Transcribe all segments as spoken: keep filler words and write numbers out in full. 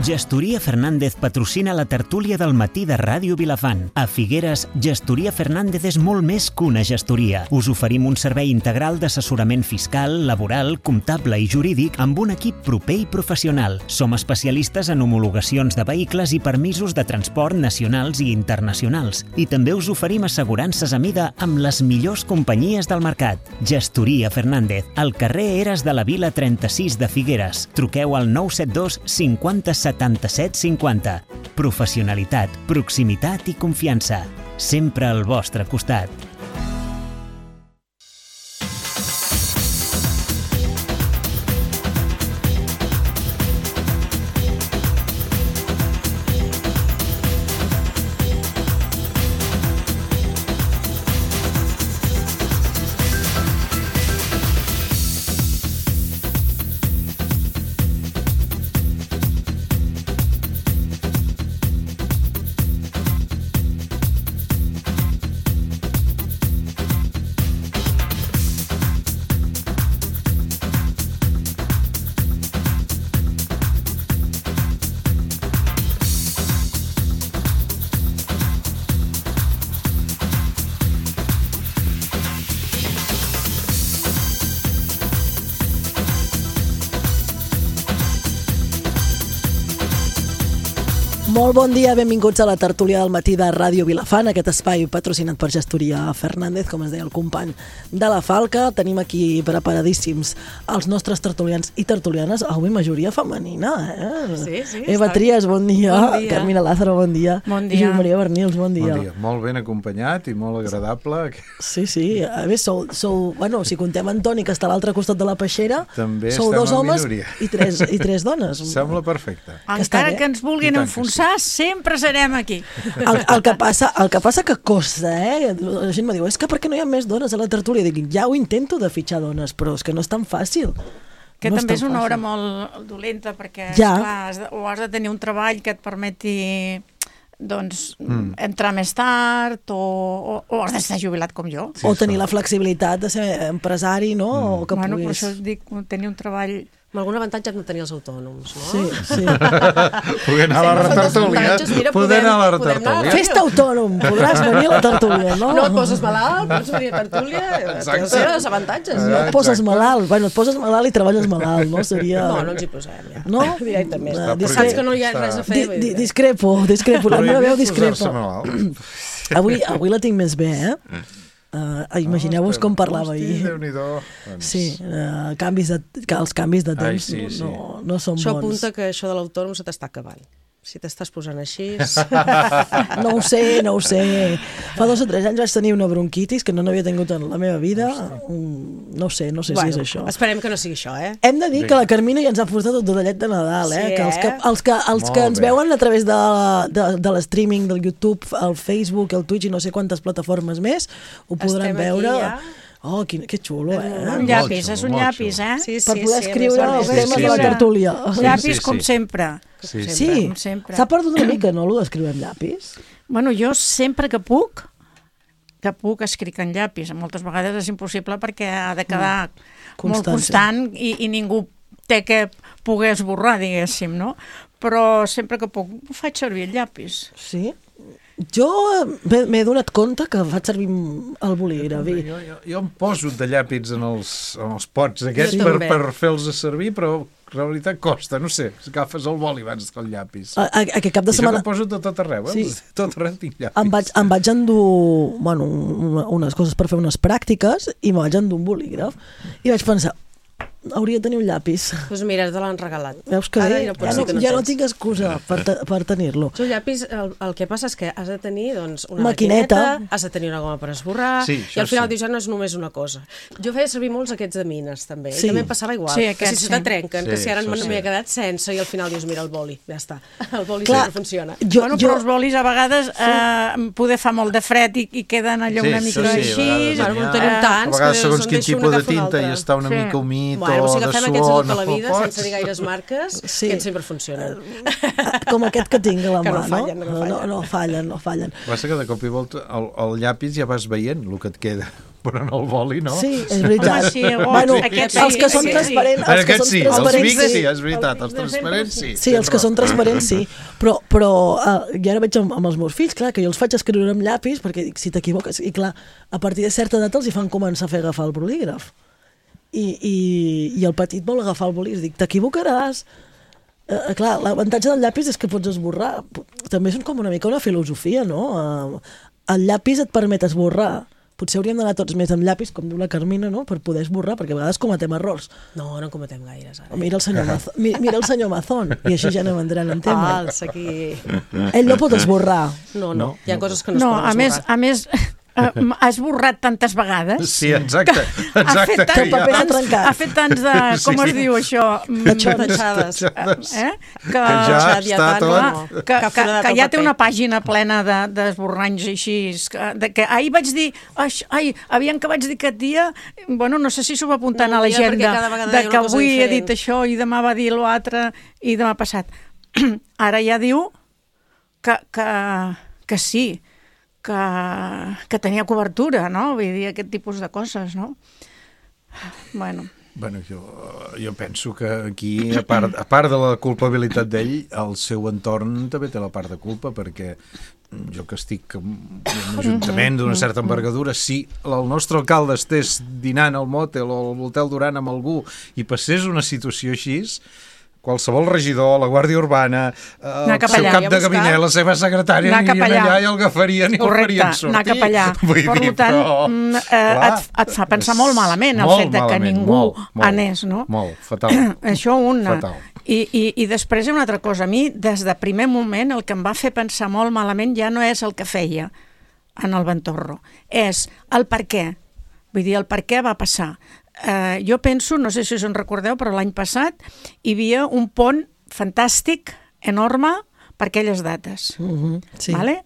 Gestoria Fernández patrocina la tertúlia del matí de Ràdio Vilafant. A Figueres, Gestoria Fernández és molt més que una gestoria. Us oferim un servei integral d'assessorament fiscal, laboral, comptable i jurídic amb un equip proper i professional. Som especialistes en homologacions de vehicles i permisos de transport nacionals i internacionals. I també us oferim assegurances a mida amb les millors companyies del mercat. Gestoria Fernández, al carrer Eres de la Vila trenta-sis de Figueres. Truqueu al nou set dos cinquanta setanta-set cinquanta. Professionalitat, proximitat i confiança. Sempre al vostre costat. Molt bon dia, benvinguts a la tertúlia del matí de Ràdio Vilafant, aquest espai patrocinat per Gestoria Fernández, com es deia el company de la Falca. Tenim aquí preparadíssims els nostres tertulians i tertulianes, avui majoria femenina, eh? Sí, sí. Eva Trias, bon dia. Bon dia. Carmina Lázaro, bon dia. Bon dia. Josep Maria Bernils, bon dia. Bon dia. Molt ben acompanyat i molt agradable. Sí, sí. A més, sou, sou bueno, si contem Antoni, que està a l'altre costat de la peixera, també sou dos en homes minoria. i tres, i tres dones. Sembla perfecte. Que està Encara bé. que ens vulguin I tant que enfonsar, sempre serem aquí. El, el, que passa, el que passa que costa, eh? La gent me diu, és que per què no hi ha més dones a la tertúlia? Dic, ja ho intento de fitxar dones, però és que no és tan fàcil. Que no també és, és una fàcil. hora molt dolenta, perquè Ja. esclar, has de, o has de tenir un treball que et permeti doncs, Mm. entrar més tard, o, o, o has d'estar jubilat com jo. Sí, O tenir esclar. la flexibilitat de ser empresari, no? Mm. O que Bueno, per puguis... això us dic, tenir un treball... Amb algun avantatge hem de tenir els autònoms, no? Sí, sí. Poder anar a la Sí, retertúlia. avantatges, mira, Poder podem- anar a la podem anar. retertúlia. Fes-te autònom, podràs venir a la tertúlia, no? No et poses malalt, pots venir a tertúlia, Exacte. tens els avantatges. Ah. No et poses Exacte. malalt. Bueno, et poses malalt i treballes malalt, no? Seria... No, no ens hi posem, ja. No? Directament. Ah, Està Saps que no hi ha Està- res a fer. Di, vull di, dir. discrepo, discrepo. La meva veu Prohibit posar-se discrepa. malalt. Avui, avui la tinc més bé, eh? Uh, imagineu-vos com parlava Hosti, ahir. Déu-n'hi-do. Doncs, Sí, uh, canvis de, que els canvis de Ai, temps sí, sí. no, no són Això bons. apunta que això de l'autònom se t'està acabant. Si t'estàs posant així... No ho sé, no ho sé. Fa dos o tres anys vaig tenir una bronquitis que no n'havia tingut en la meva vida. Mm, No ho sé, no sé bueno, si és això. esperem que no sigui això, eh? Hem de dir que la Carmina ja ens ha portat tot de llet de Nadal, eh? Sí, Que els que, eh? els que, els Molt que ens bé. veuen a través de, de, de l'streaming, del YouTube, el Facebook, el Twitch i no sé quantes plataformes més, ho podran Estem aquí veure. ja. Oh, quin, que xulo, eh? Un Molt llapis, xulo, és un molt llapis, xulo. eh? Sí, sí, Per poder sí, escriure a més, els a més, temes sí, de la sí. tertúlia. Llapis, sí, com sí. sempre. Sí, sí. Sí, Com sempre. s'ha perdut una mica, no, allò d'escriure amb llapis? Bueno, jo sempre que puc, que puc escric en llapis. Moltes vegades és impossible perquè ha de quedar molt Constància. constant i, i ningú té que poder esborrar, diguéssim, no? Però sempre que puc ho faig servir el llapis. Sí? Jo m'he m'he donat compte que faig servir el bolígraf. i- Jo, jo, jo em poso de llàpits en els, en els pots aquests Jo per, també. per fer-los a servir, però en realitat costa, no sé, agafes el boli abans que el llapis. A, a, aquest cap de I jo setmana que poso de tot arreu, eh? Sí. Sí. Tot arreu tinc llapis. em vaig, em vaig endur bueno, una- unes coses per fer unes pràctiques i me vaig endur un bolígraf i vaig pensar, hauria de tenir un llapis. Doncs mira, te l'han regalat. Veus que Ara bé? ja no Ja pots no, dir que no ja no tens. tinc excusa per, te, per tenir-lo. El llapis, el, el que passa és que has de tenir doncs, una Maquineta. maquineta, has de tenir una goma per esborrar, Sí, i això al final sí. dius, ja no és només una cosa. Jo feia servir molts aquests de mines, també, Sí. i també em passava igual. Sí, que aquests si se te sí. trenquen, Sí, que si ara això me sí. n'havia quedat sense, i al final dius, mira, el boli, ja està. El boli Clar, sempre funciona. Jo, bueno, jo, però els bolis a vegades eh, poder fa molt de fred i, i queden allò Sí, una això mica sí, a així. vegades Bueno, n'hi no ha. tenim A tants, vegades, que segons se'n quin deixa un tipus de agafar tinta l'altre. i està una Sí. mica humit Bueno, o si de agafem aquests de suor, tota no la vida, pots. sense dir gaires marques, Sí. que sempre funcionen. com aquest que tinc a la Que mà, no fallen, no no, fallen. no, no fallen, no fallen. Passa que de cop i volta el, el llapis ja vas veient el que et queda. però en el boli no. Sí, és veritat. Home, sí, oh, bueno, aquest els sí, que són aquest sí. transparents, els que Aquest són sí, els transparents, Vic sí, sí. és veritat, els transparents sí. Sí, els que són transparents sí, però, però uh, jo ara veig amb, amb els meus fills, clar, que jo els faig escriure amb llapis perquè dic, si t'equivoques, i clar, a partir de certa data els hi fan començar a fer agafar el bolígraf. I, i, i el petit vol agafar el bolígraf, dic, t'equivocaràs. Uh, clar, l'avantatge del llapis és que pots esborrar. També és com una mica una filosofia, no? Uh, el llapis et permet esborrar. Potser hauríem d'anar tots més amb llapis, com diu la Carmina, no? Per poder esborrar, perquè a vegades cometem errors. No, no en cometem gaires, ara. Mira el senyor Mazón, mira el senyor Mazón, i així ja anem entrant en tema. Fals, aquí... Ell no pot esborrar. No, no, hi ha coses que no, No, es poden a més, esborrar. a més, eh, ha esborrat tantes vegades. Sí, exacte, Ha exacte. fet, Que el paper s'ha tants, trencat. ha fet tants de... Com Sí, es sí. diu això? Tatxades. Eh? Que, Que ja Xat, està tant, tot... no. que, que, Que forat que el ja té paper. una pàgina plena de- d'esborranys així, que, de, que ahir vaig dir, "Aix, ai, aviam que vaig dir aquest dia, bueno, no sé si s'ho va apuntant No, a mira, perquè l'agenda, cada vegada de deia que una cosa avui he diferent. dit això i demà va dir l'altre i demà passat. Ara ja diu que, que, que sí, que, que tenia cobertura, no? Vull dir, aquest tipus de coses, no? Bueno... Bueno, jo, jo penso que aquí, a part, a part de la culpabilitat d'ell, el seu entorn també té la part de culpa, perquè jo que estic en un ajuntament d'una certa envergadura, si el nostre alcalde estés dinant al mòtel o al Hotel Duran amb algú i passés una situació així, qualsevol regidor, la Guàrdia Urbana, el cap seu allà, cap i a de buscar. gabinet, la seva secretària, Anar cap anirien allà. allà i el agafarien i el Correcte, farien sortir. anar cap allà. Vull Per dir, tant, però, mm, eh, clar, et, et fa pensar molt malament el molt fet de que malament, ningú molt, molt, anés, no? Molt, fatal. Això una. Fatal. I, i, I després hi ha una altra cosa. A mi, des de primer moment, el que em va fer pensar molt malament ja no és el que feia en el Ventorro, és el per què. Vull dir, el per què va passar. Eh, jo penso, no sé si us en recordeu, però l'any passat hi havia un pont fantàstic, enorme, per aquelles dates. Uh-huh, sí. Vale?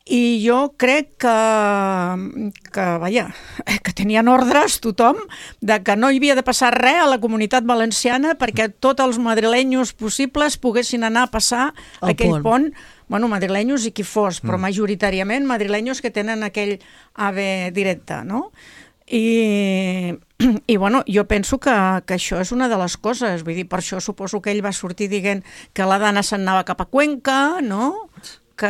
I jo crec que, que, vaja, que tenien ordres tothom de que no hi havia de passar res a la comunitat valenciana perquè tots els madrilenyos possibles poguessin anar a passar El aquell pont. pont. Bueno, madrilenyos i qui fos, però majoritàriament madrilenyos que tenen aquell AVE directe, no? I, i bueno, jo penso que, que això és una de les coses, vull dir, per això suposo que ell va sortir dient que la Dana se'n anava cap a Cuenca, no? Que,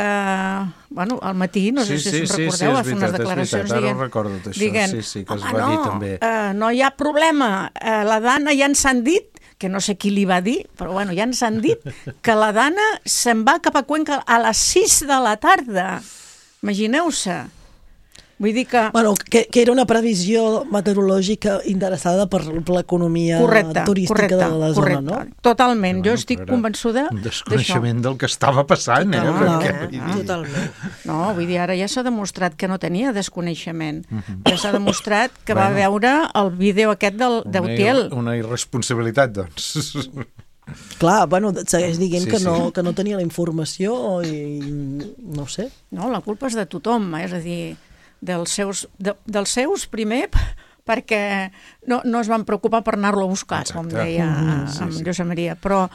bueno, al matí, no sé Sí, si sí, us sí, recordeu, sí, va és fer unes veritat, és declaracions veritat, ara dient, ho recordo, això, dient, sí, sí, que es "Home, va dir no, també." Eh, no hi ha problema, eh, la Dana ja ens han dit, que no sé qui li va dir, però bueno, ja ens han dit que la Dana se'n va cap a Cuenca a les sis de la tarda. Imagineu-se. Vull dir que... Bueno, que, que era una previsió meteorològica interessada per, per l'economia correcte, turística correcte, de la zona, correcte. no? Totalment, jo Bueno, estic però era convençuda un d'això. desconeixement del que estava passant, eh? Totalment, Perquè, eh? vull dir, Totalment. No, vull dir, ara ja s'ha demostrat que no tenia desconeixement. Ja s'ha demostrat que va Bueno. veure el vídeo aquest del una, d'Utiel. ir- una irresponsabilitat, doncs. Clar, bueno, segueix dient Sí, que, sí. no, que no tenia la informació i no ho sé. No, la culpa és de tothom, eh? És a dir, dels seus, de, dels seus primer, perquè no, no es van preocupar per anar-lo a buscar, Exacte. com deia Mhm, sí, en sí. Josep Maria, però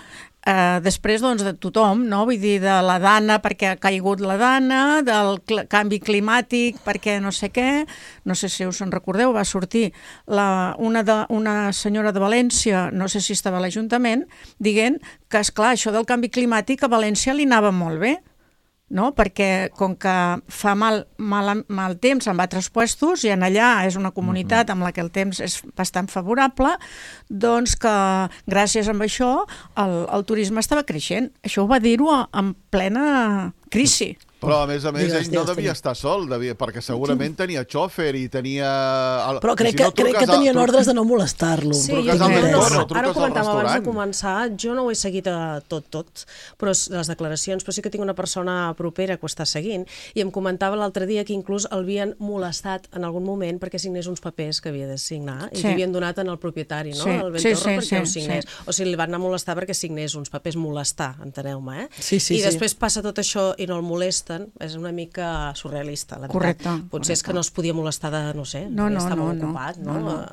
eh, després doncs, de tothom, no? Vull dir, de la Dana perquè ha caigut la Dana, del cl canvi climàtic perquè no sé què, no sé si us en recordeu, va sortir la, una, de, una senyora de València, no sé si estava a l'Ajuntament, dient que, esclar, això del canvi climàtic a València li anava molt bé, no? Perquè com que fa mal, mal, mal temps en altres puestos i en allà és una comunitat amb la que el temps és bastant favorable, doncs que gràcies a això el, el turisme estava creixent. Això ho va dir-ho en plena crisi. Però, a més a més, Digues, ell no digues, devia digues. estar sol, devia, perquè segurament tenia xòfer i tenia... El... Però crec, si que, no, crec que truques al- tenien tru- ordres de no molestar-lo. Sí, Truques jo al no, Ventorro, no, truques ara ho al comentàvem abans de restaurant. començar, jo no ho he seguit a tot, tot, però s- les declaracions, però sí que tinc una persona propera que ho està seguint, i em comentava l'altre dia que inclús el havien molestat en algun moment perquè signés uns papers que havia de signar, i Sí. li havien donat en el propietari, no?, Sí, el sí, Ventorro, sí, perquè sí, ho signés. sí. O sigui, li van anar a molestar perquè signés uns papers, molestar, enteneu-me, eh? Sí, sí, I sí. després passa tot això i no el molesta, molesten és una mica surrealista, la veritat. Correcte. Potser correcte. és que no es podia molestar de, no sé, No, no, estava no, no. ocupat, no? No, no.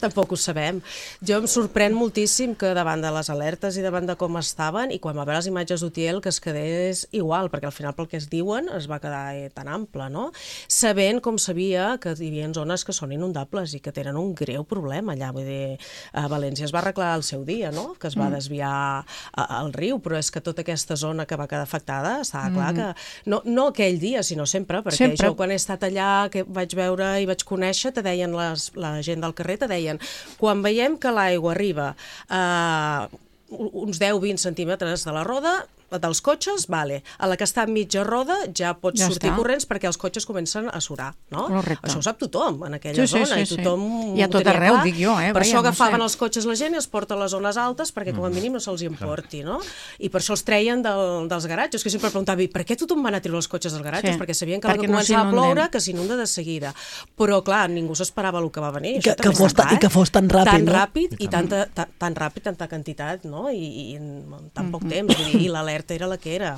Tampoc ho sabem. Jo em sorprèn moltíssim que davant de les alertes i davant de com estaven, i quan va veure les imatges d'Utiel, que es quedés igual, perquè al final pel que es diuen es va quedar eh, tan ample, no? Sabent, com sabia, que hi havia zones que són inundables i que tenen un greu problema allà. Vull dir, a València es va arreglar al seu dia, no? Que es va desviar a, al riu, però és que tota aquesta zona que va quedar afectada, estava clar que... No, no aquell dia, sinó sempre, perquè Sempre. jo quan he estat allà, que vaig veure i vaig conèixer, te deien les, la gent del carrer, te deien, quan veiem que l'aigua arriba a uns deu a vint centímetres de la roda, dels cotxes, vale. A la que està a mitja roda ja pots Ja sortir està. corrents perquè els cotxes comencen a surar, no? Correcte. Això ho sap tothom en aquella Sí, sí, zona, sí, i tothom sí. I a ho tot tenia arreu, clar. dic jo, eh? Per Vaja, això no agafaven sé. els cotxes la gent i els porta a les zones altes perquè com a mínim no se'ls importi, no? I per això els treien del, dels garatges, que sempre preguntava, i per què tothom van a treure els cotxes dels garatges? Sí, Perquè sabien que perquè perquè no començava a s'inunden. ploure, que s'inunda de seguida. Però, clar, ningú s'esperava el que va venir. Que- Això que també fos està ta- clar, i que fos tan ràpid, Tan no? ràpid i tanta, tan, tan ràpid, tanta quantitat, no? I, i en tan poc temps. Vull dir, i l'alerta era la que era.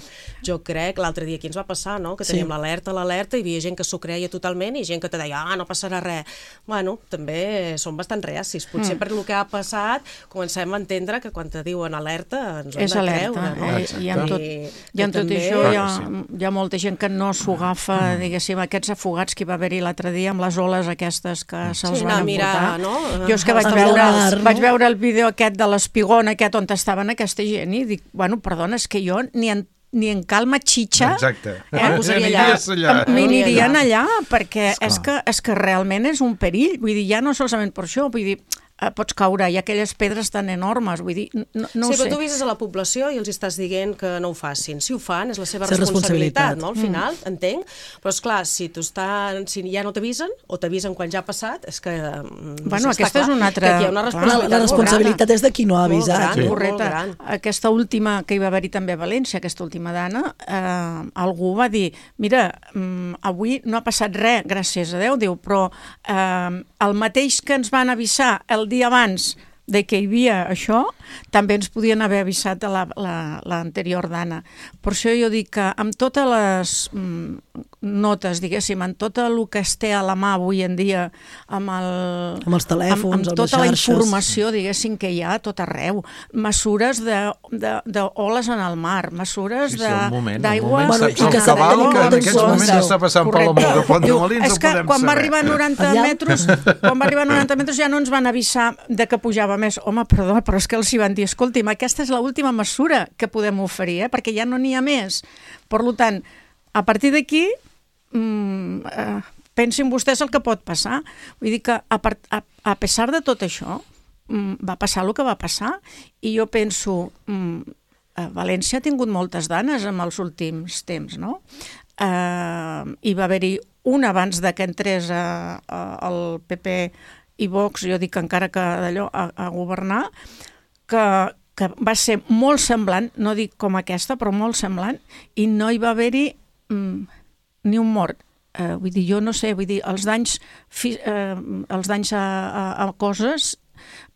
Jo crec, l'altre dia aquí ens va passar, no? Que Sí. teníem l'alerta, l'alerta, i hi havia gent que s'ho creia totalment i gent que te deia, ah, no passarà res. Bueno, també són bastant reacis. Potser Mm. per el que ha passat comencem a entendre que quan te diuen alerta ens ho hem És de alerta, creure, no? eh? I amb tot, I i amb que tot també- això Clar hi ha, que hi ha molta gent que no s'ho agafa, diguéssim, aquests afogats que hi va haver-hi l'altre dia amb les oles aquestes que se'ls Sí, van anar a mirar, emportar. no? Jo és que A vaig les veure, taulades, no? vaig veure el vídeo aquest de l'espigón aquest on estaven aquesta gent i dic, bueno, perdona, és que jo ni en ni en calma xitxa Exacte. Eh, posaria allà. Aniries allà. em- m'anirien allà. allà perquè és que, és que realment és un perill, vull dir, ja no solament per això, vull dir, eh, pots caure, i aquelles pedres tan enormes, vull dir, no, no sí, ho sé. però tu vises a la població i els estàs dient que no ho facin. Si ho fan, és la seva És responsabilitat. responsabilitat, no? Al final, mm. entenc. Però, esclar, si, tu està, si ja no t'avisen, o t'avisen quan ja ha passat, és que... mm, Bueno, està aquesta és clar una altra- que aquí hi ha una clar, responsabilitat, La, la responsabilitat és de qui no ha Molt avisat. gran, no? molt Correcte. gran. Aquesta última que hi va haver-hi també a València, aquesta última dana, eh, algú va dir, mira, mm, avui no ha passat res, gràcies a Déu, diu, però eh, el mateix que ens van avisar el dia abans de que hi havia això, també ens podien haver avisat a la- la- l'anterior dana. Per això jo dic que amb totes les mm, notes, diguéssim, amb tot el que es té a la mà avui en dia, amb, el, Amb els telèfons, amb, amb amb tota les la xarxes. informació, diguéssim, que hi ha a tot arreu, mesures de, de, de oles en el mar, mesures Sí, sí, el moment, de, el d'aigua... moment Bueno, saps i el que s'ha de cabal tenir que en molta aquests moments informació. està passant per la Correcte. Muga Font de Diu, Molins, és ho que podem quan va saber. arribar a noranta Allà? metres, quan va arribar a noranta metres ja no ens van avisar de que pujava més. Home, perdó, però és que els hi van dir, escolti'm, aquesta és l'última mesura que podem oferir, eh? Perquè ja no n'hi ha més. Per tant, a partir d'aquí, mm, eh, pensin vostès el que pot passar. Vull dir que a, part, a, a pesar de tot això, mm, va passar el que va passar, i jo penso, mm, a València ha tingut moltes danes en els últims temps, no? Eh, hi va haver-hi una abans de que entrés a, a, el P P i Vox, jo dic encara que d'allò a, a governar, que, que va ser molt semblant, no dic com aquesta, però molt semblant, i no hi va haver-hi mm, ni un mort. Eh, vull dir, jo no sé, vull dir, els danys, fi, eh, els danys a, a, a coses,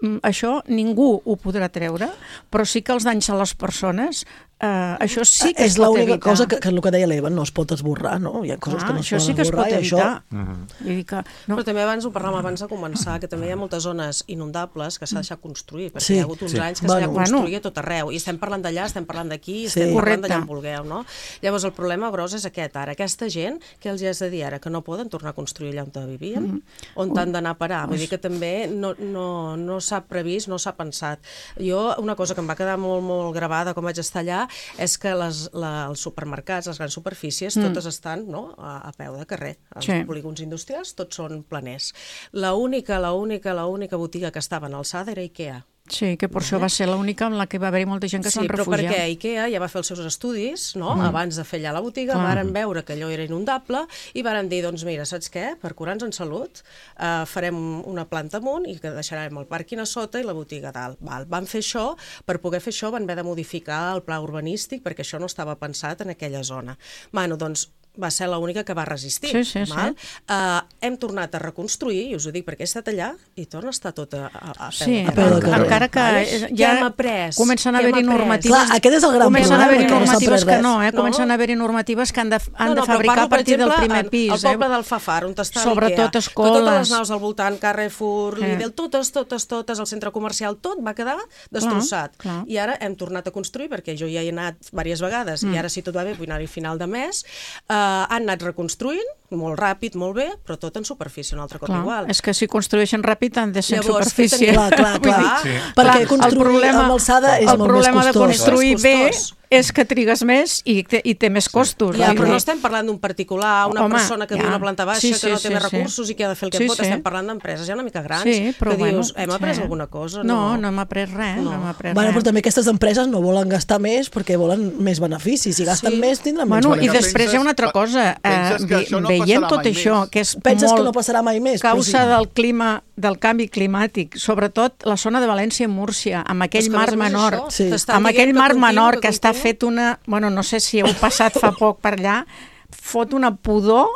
mm, això ningú ho podrà treure, però sí que els danys a les persones, eh, això sí que És es pot l'única evitar. cosa que, que el que deia l'Eva, no es pot esborrar, no? Hi ha coses Clar, que no es això poden sí que es esborrar pot i això... evitar. Vull dir que, no, Però també abans ho parlàvem abans de començar, que també hi ha moltes zones inundables que s'ha deixat construir, perquè Sí. hi ha hagut uns Sí. anys que Bueno. s'ha de construir Bueno. a tot arreu, i estem parlant d'allà, estem parlant d'aquí, Sí. estem parlant d'allà Correcte. on vulgueu, no? Llavors el problema gros és aquest, ara, aquesta gent, que els has de dir ara, que no poden tornar a construir allà on vivien, on t'han d'anar a parar, vull dir que també no, no, no s'ha previst, no s'ha pensat. Jo, una cosa que em va quedar molt, molt gravada quan vaig estar allà, és que les, la, els supermercats, les grans superfícies, Mm. totes estan, no?, a, a peu de carrer. Els Sí. polígons industrials tots són planers. La única, la única, la única botiga que estava en alçada era IKEA. sí, que per això va ser l'única en la que va haver-hi molta gent que Sí, se'n però refugiar. perquè IKEA ja va fer els seus estudis, no?, Mm. abans de fer allà la botiga, Clar. varen veure que allò era inundable i varen dir, doncs mira, saps què? Per curar-nos en salut eh, farem una planta amunt i que deixarem el pàrquing a sota i la botiga a dalt. Val. Van fer això, per poder fer això van haver de modificar el pla urbanístic perquè això no estava pensat en aquella zona. Bueno, doncs va ser l'única que va resistir. Sí, sí, val? sí. Uh, hem tornat a reconstruir, i us ho dic perquè he estat allà, i torna a estar tot a, a, a peu, Sí, a peu de carrer. encara que Vale? ja Què hem après? comencen a Què hem haver-hi après? normatives... Clar, aquest és el gran comencen a problema, haver-hi que no s'ha normatives après que res. no, eh? No. Comencen a haver-hi normatives que han de, han No, no, de fabricar però a partir parlo, del per primer exemple, pis. al poble eh? del Fafar, on està Sobretot l'Ikea, escoles. que totes les naus al voltant, Carrefour, Eh. Lidl, totes, totes, totes, el centre comercial, tot va quedar destrossat. clar. I ara hem tornat a construir, perquè jo ja hi he anat diverses vegades, Mm. i ara, si tot va bé, vull anar-hi final de mes, uh, han anat reconstruint, molt ràpid, molt bé, però tot en superfície, un altre cop Clar, igual. és que si construeixen ràpid han de ser en Llavors, superfície. què tenim? Clar, clar, Vull clar. dir, Perquè Clar, el construir problema- amb alçada és el molt més problema de costós. construir És bé costós. és que trigues més i té, i té més costos. Ja, vull però dir. no estem parlant d'un particular, una Home, persona que viu ja. a una planta baixa, Sí, que sí, no té sí, més sí. recursos i que ha de fer el que Sí, pot. sí. Estem parlant d'empreses ja una mica grans, Sí, però que bueno, dius, hem après sí. alguna cosa? No, no hem après res, no, No. hem après Bueno, res. però també aquestes empreses no volen gastar més perquè volen més beneficis. Si gasten Sí. més, tindran Bueno, més i beneficis. després hi ha una altra cosa. penses Eh, que això no veient passarà tot mai això, més? que és Penses molt que no passarà mai més? Però causa sí. del clima, del canvi climàtic, sobretot la zona de València i Múrcia, amb aquell És que, a mar més a més, menor, això, Sí. t'estan amb dient aquell que mar continua, menor que que està continua. fet una... Bueno, no sé si heu passat fa poc per allà, fot una pudor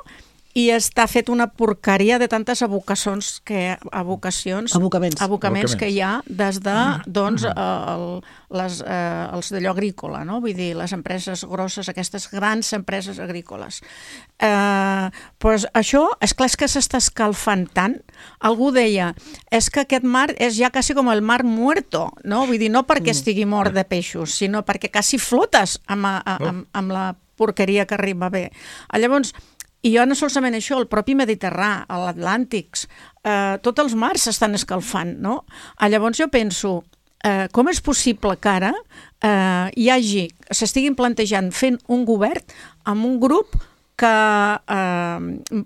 i està fet una porqueria de tantes abocacions que abocacions Abocaments. abocaments que hi ha des de Mm. doncs el, les, eh, els d'allò agrícola, no? Vull dir, les empreses grosses, aquestes grans empreses agrícoles. Eh, doncs això, és clar, és que s'està escalfant tant. Algú deia, és que aquest mar és ja quasi com el mar muerto, no? Vull dir, no perquè estigui mort de peixos, sinó perquè quasi flotes amb, a, amb, amb la porqueria que arriba bé. Llavors, i ja no solament això, el propi Mediterrani, l'Atlàntic, eh, tots els mars s'estan escalfant, no? Llavors jo penso, eh, com és possible que ara eh, hi hagi, s'estiguin plantejant fent un govern amb un grup que eh,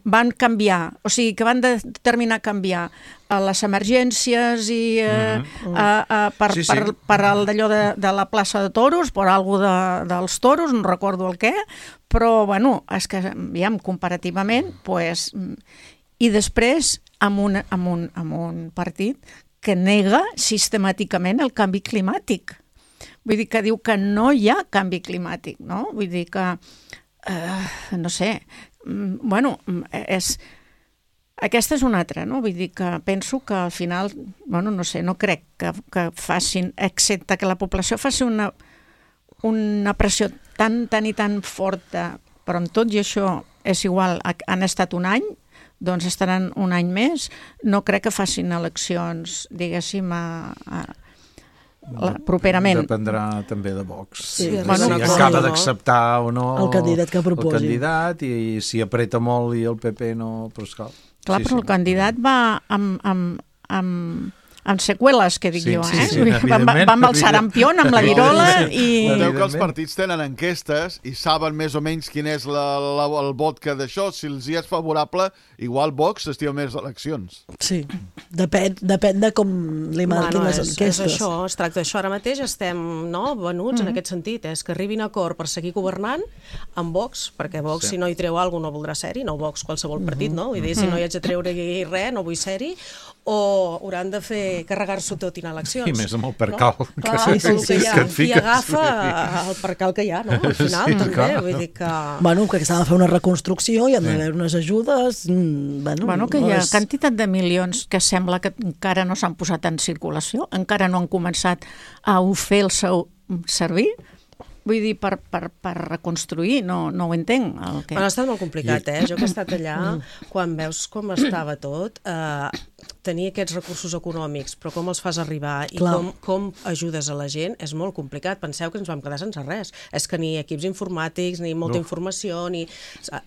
van canviar, o sigui, que van determinar canviar a les emergències i eh, Mhm. a, a, per, Sí, sí. per, per el d'allò de, de la plaça de toros, per algo de, dels toros, no recordo el què, però, bueno, és que, ja, comparativament, pues, i després amb un, amb, un, amb un partit que nega sistemàticament el canvi climàtic. Vull dir que diu que no hi ha canvi climàtic, no? Vull dir que, eh, no sé, mm, bueno, és... Aquesta és una altra, no? Vull dir que penso que al final, bueno, no sé, no crec que, que facin, excepte que la població faci una, una pressió tan, tan i tan forta, però amb tot i això és igual, han estat un any, doncs estaran un any més, no crec que facin eleccions, diguéssim, a, a, a, properament. Dependrà també de Vox. Sí, si bueno, si no, acaba no. d'acceptar o no El candidat que proposi. el candidat, i si apreta molt i el P P no, però esclar. Clar, Sí, però sí. el candidat va amb, amb, amb, amb seqüeles, que dic Sí, jo, sí, eh? sí, Vull dir, va, va, evidentment, va amb el sarampión, amb la virola i... Sabeu que els Evidentment. partits tenen enquestes i saben més o menys quin és la, la, el vot que d'això. Si els hi és favorable, igual Vox s'estima més eleccions. Sí, depèn, depèn de com li marquin Bueno, les és, és enquestes. això, es tracta d'això. Ara mateix estem no, venuts Mm. en aquest sentit, és que arribin a acord per seguir governant amb Vox, perquè Vox, Sí. si no hi treu alguna cosa, no voldrà ser-hi, no Vox qualsevol partit, no? Vull dir, si no hi haig de treure res, no vull ser-hi, o hauran de fer carregar-s'ho tot i anar a eleccions. I més amb el percal No? que, Clar, que, sí, sí, que, ja, que et qui fiques. agafa el percal que hi ha, no? Al final, Sí, també, clar. vull dir que... Bueno, que s'ha de fer una reconstrucció i han d'haver unes ajudes... mm, Bueno, Bueno, que no hi ha és- quantitat de milions que sembla que encara no s'han posat en circulació, encara no han començat a fer el seu servir. Vull dir, per, per, per reconstruir, no, no ho entenc. El que... Bueno, ha estat molt complicat, eh? Jo que he estat allà, quan veus com estava tot, eh, tenir aquests recursos econòmics, però com els fas arribar i Clar. com, com ajudes a la gent, és molt complicat. Penseu que ens vam quedar sense res. És que ni equips informàtics, ni molta No. informació, ni...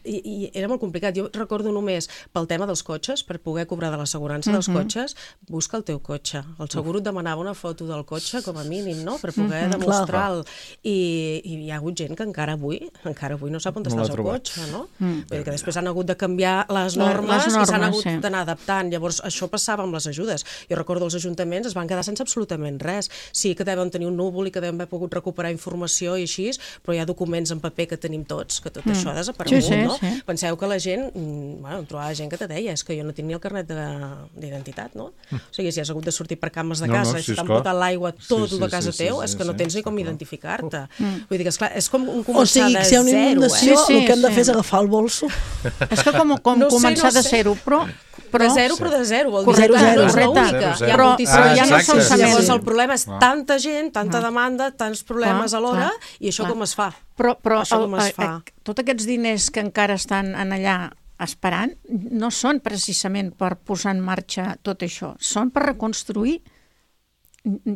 I, I era molt complicat. Jo recordo només pel tema dels cotxes, per poder cobrar de l'assegurança dels cotxes, busca el teu cotxe. El segur et demanava una foto del cotxe, com a mínim, no?, per poder demostrar-lo. I, I hi ha hagut gent que encara avui, encara avui no sap on No està l'ha el seu trobat. cotxe, no? Vull dir que després han hagut de canviar les Les normes, i s'han normes, hagut sí. d'anar adaptant. Llavors, això passava amb les ajudes. Jo recordo els ajuntaments es van quedar sense absolutament res. Sí que deuen tenir un núvol i que deuen haver pogut recuperar informació i així, però hi ha documents en paper que tenim tots, que tot això ha desaparegut, Sí, sí, no? sí. Penseu que la gent, mm, bueno, em trobava gent que te deia, és que jo no tinc ni el carnet de- d'identitat, no? O sigui, si has hagut de sortir per cames de No, no, casa, sí, si t'han esclar. portat l'aigua, tot Sí, sí, de casa sí, sí, teu, sí, és que no sí, tens ni està com clar. identificar-te. Vull dir que, esclar, és com un O començar sigui, de si hi ha una zero, inundació, eh? Sí, sí, el que hem de sí. fer és agafar el bolso. És que com, com No sé, començar no de sé. zero, però... però De zero, però de zero, vol dir Correcte, que zero, no és zero. l'única. Zero, Hi ha zero. Però- moltíssima però ja no gent. solament- Llavors Sí. el problema és tanta gent, tanta demanda, tants problemes Clar, alhora, clar, i això clar. com es fa? Però, però Això com es el, fa? eh, tots aquests diners que encara estan en allà esperant no són precisament per posar en marxa tot això, són per reconstruir.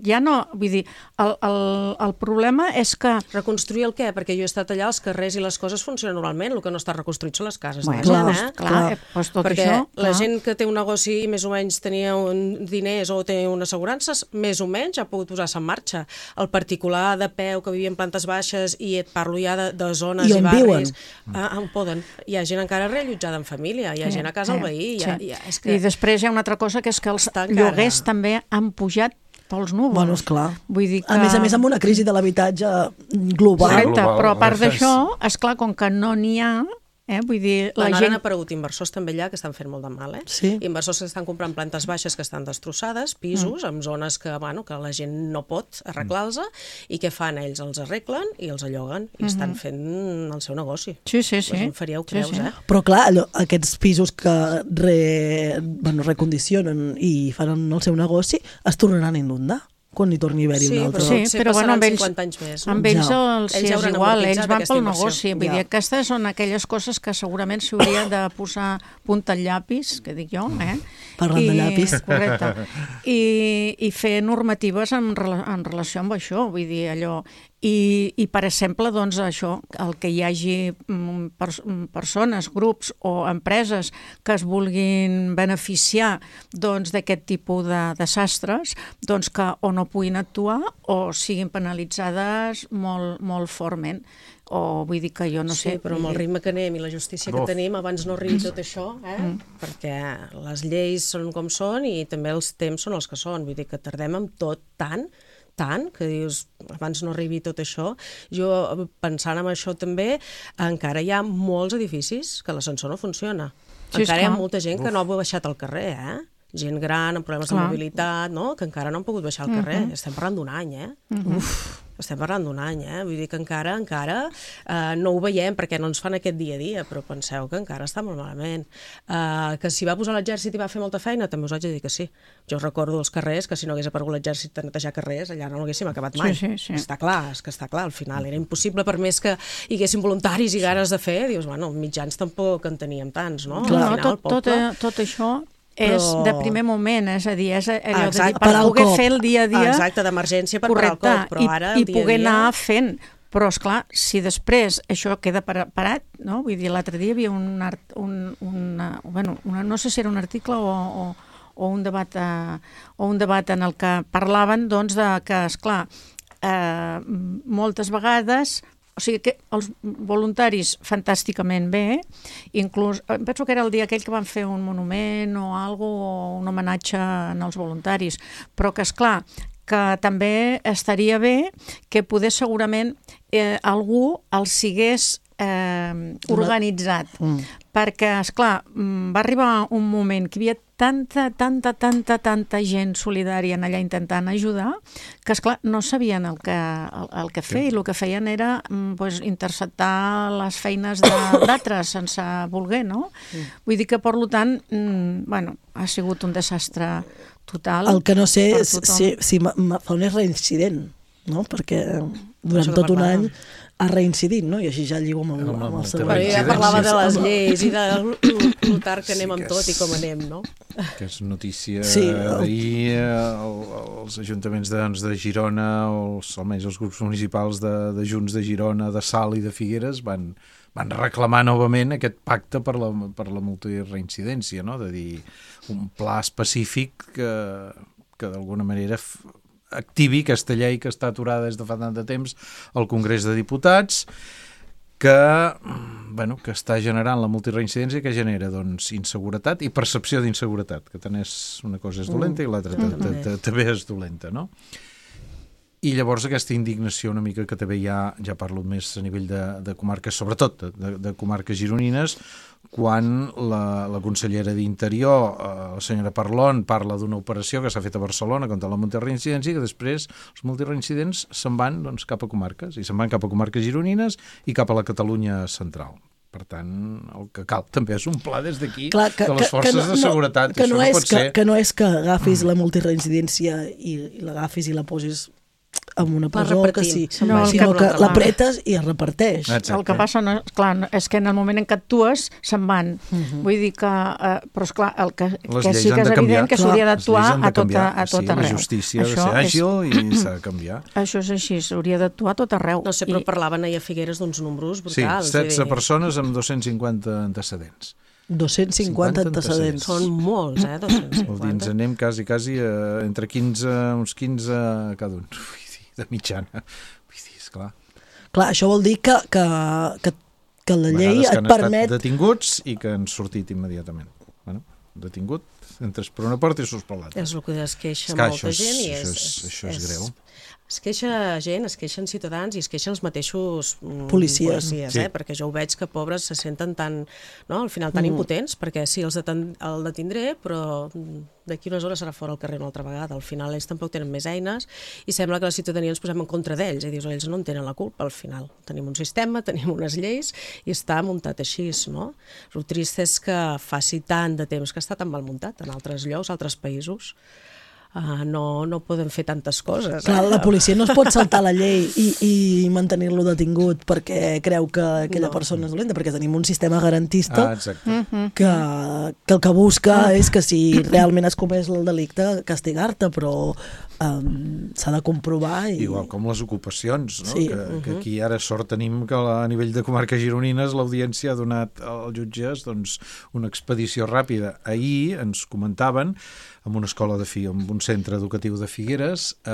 Ja no, vull dir, el, el, el problema és que... Reconstruir el què? Perquè jo he estat allà, els carrers i les coses funcionen normalment, el que no està reconstruït són les cases Bueno, de la clar, gent, eh? clar, clar. eh, doncs tot Perquè això... la clar. gent que té un negoci i més o menys tenia un diners o té unes assegurances, més o menys ha pogut posar-se en marxa. El particular de peu que vivia en plantes baixes i et parlo ja de, de zones I i, on barris... viuen? Ah, on poden. Hi ha gent encara reallotjada en família, hi ha gent a casa al veí... Hi ha, sí. hi ha, és que... I després hi ha una altra cosa, que és que els Està encara- lloguers també han pujat pels núvols. Bueno, esclar. Vull dir que... A més a més, amb una crisi de l'habitatge global. Correcte, global, però a part gràcies. d'això, esclar, com que no n'hi ha, eh, vull dir, la Bueno, ara gent... han aparegut inversors també allà que estan fent molt de mal, eh? Sí. Inversors que estan comprant plantes baixes que estan destrossades, pisos, mm. en zones que, bueno, que la gent no pot arreglar-los, i què fan? Ells els arreglen i els alloguen, i estan fent el seu negoci. Sí, sí, sí. Us en faríeu Sí, creus, sí. eh? Però clar, allò, aquests pisos que re, bueno, recondicionen i fan el seu negoci es tornaran a inundar quan hi torni a haver-hi Sí, un altre. però Sí, potser però bueno, amb passaran ells, cinquanta anys més, no? amb ells Ja. els, sí, Ells ja és hauran igual, amortitzat ells van aquesta pel inversió. negoci. Vull Ja. dir, aquestes són aquelles coses que segurament s'hauria de posar punta al llapis, que dic jo, eh? Parlant de llapis. Correcte. I, i fer normatives en, rela- en relació amb això, vull dir, allò... I, i per exemple, doncs, això, el que hi hagi mm, pers mm, persones, grups o empreses que es vulguin beneficiar doncs, d'aquest tipus de desastres, doncs que o no puguin actuar o siguin penalitzades molt, molt fortament. O vull dir que jo no Sí, sé... però amb el ritme que anem i la justícia que Uf. tenim, abans no arribi tot això, eh? Mm. perquè les lleis són com són i també els temps són els que són. Vull dir que tardem amb tot tant, tant, que dius, abans no arribi tot això. Jo, pensant en això també, encara hi ha molts edificis que l'ascensor no funciona. Sí, encara hi ha esclar. molta gent que no ha baixat al carrer, eh? Gent gran, amb problemes Clar. de mobilitat, no? Que encara no han pogut baixar al carrer. Estem parlant d'un any, eh? Uf, estem parlant d'un any, eh? Vull dir que encara, encara eh, no ho veiem perquè no ens fan aquest dia a dia, però penseu que encara està molt malament. Eh, que si va posar l'exèrcit i va fer molta feina, també us haig de dir que sí. Jo recordo els carrers, que si no hagués aparegut l'exèrcit de netejar carrers, allà no l'haguéssim acabat mai. Sí, sí, sí. Està clar, és que està clar, al final era impossible, per més que hi haguessin voluntaris i ganes de fer, dius, bueno, mitjans tampoc en teníem tants, no? No, Al final, tot, tot, poble... eh, tot això és Però- de primer moment, és a dir, és allò de dir, Exacte. per Parar el poder cop. fer el dia a dia... Exacte, d'emergència per correcte, parar el cop, però i, ara i el dia a poder dia... anar fent. Però, esclar, si després això queda para- parat, no? Vull dir, l'altre dia hi havia un, art, un, una, bueno, una, no sé si era un article o, o, o, un debat, eh, o un debat en el que parlaven doncs, de que, esclar, eh, moltes vegades... O sigui que els voluntaris fantàsticament bé, inclús, em penso que era el dia aquell que van fer un monument o algo, o un homenatge en els voluntaris, però que, esclar, que també estaria bé que poder segurament eh, algú els sigués eh, organitzat. Mm. Perquè, esclar, va arribar un moment que hi havia tanta, tanta, tanta, tanta gent solidària en allà intentant ajudar, que, esclar, no sabien el que, el, el que fer, i el que feien era pues, interceptar les feines d'altres sense voler, no? Mm. Vull dir que, per tant, mm, bueno, ha sigut un desastre total. El que no sé per és tothom. si, si Mazón és reincident, no? Perquè durant Això que tot un parlàvem. any ha reincidit, no? I així ja lligo amb el, Amb el- amb el amb el següent. Però ja Incidències. parlava de les lleis i de l'Utar que Sí anem amb que tot i és- com anem, no? Que és notícia Sí, sí, el- d'ahir, el, els ajuntaments de, doncs, de Girona, o els, almenys els grups municipals de, de Junts de Girona, de Salt i de Figueres van, van reclamar novament aquest pacte per la, per la multireincidència, no? De dir, un pla específic que, que d'alguna manera f- activi aquesta llei que està aturada des de fa tant de temps al Congrés de Diputats, que, bueno, que està generant la multireincidència, que genera doncs, inseguretat i percepció d'inseguretat, que tant és una cosa és dolenta i l'altra Mm. també és dolenta, no? I llavors aquesta indignació una mica que també hi ha, ja parlo més a nivell de, de comarques, sobretot de, de comarques gironines, quan la, la consellera d'Interior, eh, la senyora Parlon, parla d'una operació que s'ha fet a Barcelona contra la multireincidència, que després els multireincidents se'n van doncs, cap a comarques, i se'n van cap a comarques gironines i cap a la Catalunya central. Per tant, el que cal també és un pla des d'aquí Clar, que, de les forces que no, de seguretat. Que Això no, no és pot que, ser... que no és que agafis la multireincidència i, i l'agafis i la posis en una presó, que sí, no, sinó que, que l'apretes i es reparteix. Exacte. El que passa no, clar, no, és que en el moment en què actues se'n van. Uh -huh. Vull dir que... Eh, però esclar, el que, que sí que és evident que s'hauria d'actuar a tot, a tot sí, arreu. La justícia això ha de ser àgil és... i s'ha de canviar. Això és així, s'hauria d'actuar a tot arreu. No sé, però I... parlaven ahir a Figueres d'uns números brutals. Sí, setze persones amb dos-cents cinquanta antecedents. dos-cents cinquanta antecedents. Són molts, eh, dos-cents cinquanta. Vol dir, ens anem quasi, quasi a, entre quinze, uns quinze cada un. Vull dir, de mitjana. Vull dir, esclar. Clar, això vol dir que, que, que, que la llei et permet... Han estat detinguts i que han sortit immediatament. Bueno, detingut, entres per una porta i surts per l'altra. És el que es queixa Esclar, molta és, gent. I això, és, és, això és, és greu. Es queixa gent, es queixen ciutadans i es queixen els mateixos mm, policies, policies sí. eh? Perquè jo ho veig que pobres se senten tan, no? Al final tan mm. impotents, perquè sí, els deten, el detindré, però d'aquí unes hores serà fora al carrer una altra vegada. Al final ells tampoc tenen més eines i sembla que la ciutadania ens posem en contra d'ells i dius, ells no en tenen la culpa al final. Tenim un sistema, tenim unes lleis i està muntat així, no? El trist és que faci tant de temps que està tan mal muntat en altres llocs, altres països. Uh, no, no poden fer tantes coses. Clar, eh? la policia no es pot saltar la llei i, i mantenir-lo detingut perquè creu que aquella no. persona és dolenta, perquè tenim un sistema garantista ah, que, que el que busca és que si realment has comès el delicte, castigar-te, però um, s'ha de comprovar. I... Igual com les ocupacions, no? Sí. que, uh-huh. que aquí ara sort tenim que a nivell de comarques gironines l'audiència ha donat als jutges doncs, una expedició ràpida. Ahir ens comentaven en una escola de fi, en un centre educatiu de Figueres, eh,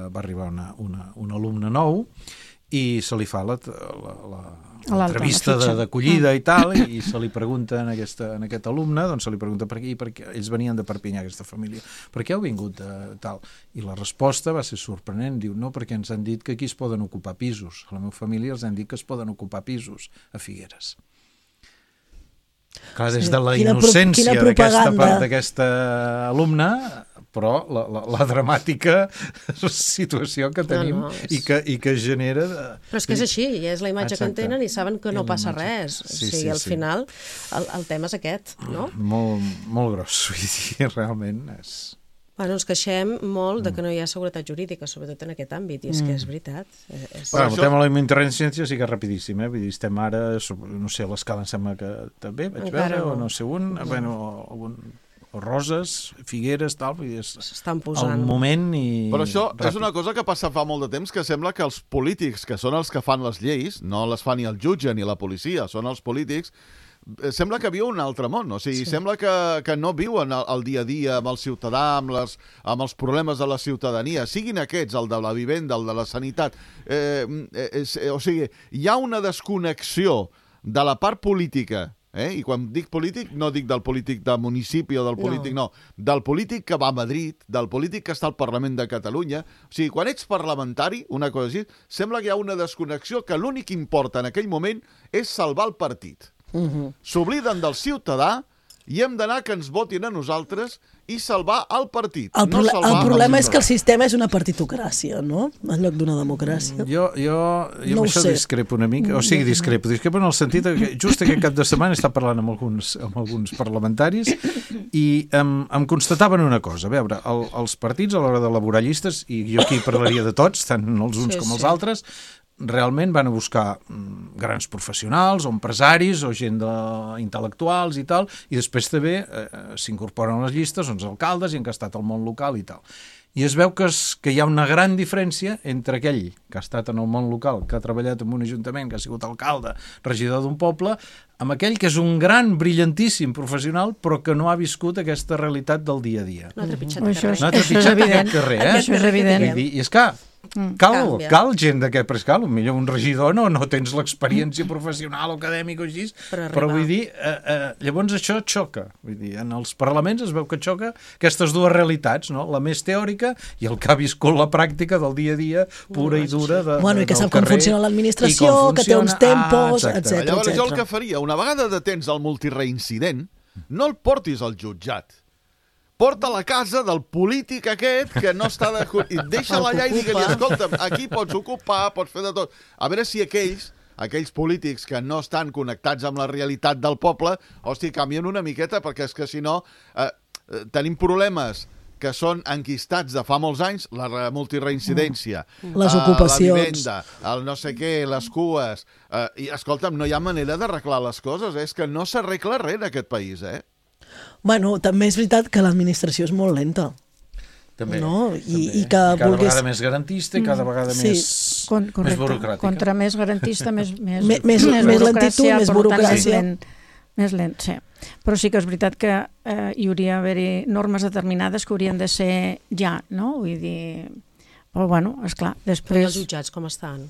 va arribar una, una, un alumne nou i se li fa la, la, l'entrevista de, d'acollida i tal, i se li pregunta en, aquesta, en aquest alumne, doncs se li pregunta per què, perquè ells venien de Perpinyà, aquesta família, per què heu vingut de tal? I la resposta va ser sorprenent, diu, no, perquè ens han dit que aquí es poden ocupar pisos, a la meva família els han dit que es poden ocupar pisos a Figueres. Clar, des de la quina innocència pro, d'aquesta part d'aquesta alumna, però la, la, la dramàtica situació que tenim no, no, és... i, que, i que genera... De... Però és que és així, i és la imatge Exacte. que en tenen i saben que no passa res. Sí, o sigui, sí, al sí. final, el, el tema és aquest, no? Molt, molt gros, vull dir, realment és... Bueno, ens queixem molt de que no hi ha seguretat jurídica, sobretot en aquest àmbit, i és que és veritat. És... Bueno, el tema de la intervenció sí que és rapidíssim, eh? Vull dir, estem ara, no sé, a l'escala em sembla que també vaig Encara veure, no. o no sé un, no. bueno, algun... o Roses, Figueres, tal, vull dir, és s'estan posant. el moment i... Però això ràpid. És una cosa que passa fa molt de temps, que sembla que els polítics, que són els que fan les lleis, no les fa ni el jutge ni la policia, són els polítics, sembla que viu un altre món, o sigui, sí. sembla que, que no viuen el, el dia a dia amb el ciutadà, amb, les, amb els problemes de la ciutadania, siguin aquests, el de la vivenda, el de la sanitat. Eh, eh, eh, o sigui, hi ha una desconnexió de la part política, eh? I quan dic polític, no dic del polític de municipi o del polític, no. no, del polític que va a Madrid, del polític que està al Parlament de Catalunya. O sigui, quan ets parlamentari, una cosa així, sembla que hi ha una desconnexió que l'únic que importa en aquell moment és salvar el partit. Uh-huh. S'obliden del ciutadà i hem d'anar que ens votin a nosaltres i salvar el partit. El, no salvar el problema el és que el sistema és una partitocràcia, no? En lloc d'una democràcia. Jo, jo, jo no amb això sé. discrepo una mica, o sigui, discrepo, discrepo en el sentit que just aquest cap de setmana he estat parlant amb alguns, amb alguns parlamentaris i em, em constataven una cosa, a veure, el, els partits a l'hora d'elaborar llistes, i jo aquí parlaria de tots, tant els uns sí, com els sí. altres, realment van a buscar grans professionals o empresaris o gent de, intel·lectuals i tal, i després també eh, s'incorporen a les llistes uns alcaldes i han estat al món local i tal. I es veu que, es, que hi ha una gran diferència entre aquell que ha estat en el món local, que ha treballat en un ajuntament, que ha sigut alcalde, regidor d'un poble, amb aquell que és un gran, brillantíssim professional, però que no ha viscut aquesta realitat del dia a dia. No ha trepitjat mm-hmm. carrer. No ha trepitjat aquest carrer, eh? Això és evident. I és que cal, Canvia. cal gent d'aquest, però és cal, millor un regidor no, no tens l'experiència professional o acadèmica o així, Per però arribar. vull dir, eh, eh, llavors això xoca, vull dir, en els parlaments es veu que xoca aquestes dues realitats, no? La més teòrica i el que ha viscut la pràctica del dia a dia, pura i dura de, Bueno, i que del sap com carrer, funciona l'administració, i com que té uns funciona- tempos, Ah, exacte. etcètera. Llavors jo el que faria, una vegada detens el multireincident, no el portis al jutjat. Porta a la casa del polític aquest que no està de... I deixa-la allà i digue-li, escolta'm, aquí pots ocupar, pots fer de tot. A veure si aquells, aquells polítics que no estan connectats amb la realitat del poble, hòstia, canvien una miqueta, perquè és que si no eh, eh, tenim problemes que són enquistats de fa molts anys, la re- multireincidència, Les eh, ocupacions. la vivenda, el no sé què, les cues... Eh, I, escolta'm, no hi ha manera d'arreglar les coses, eh? És que no s'arregla res en aquest país, eh? Bueno, també és veritat que l'administració és molt lenta. També, No? I- també. i que cada vulguis- vegada més garantista i cada vegada Sí. més, Con, més correcte. burocràtica. Contra més garantista, més, més, Me- més- més lentitud, burocràcia, més per tant, burocràcia. Més lent, més lent, sí. Però sí que és veritat que eh, hi hauria d'haver normes determinades que haurien de ser ja, no? Vull dir... Però, bueno, esclar, Però i els després... jutjats com estan?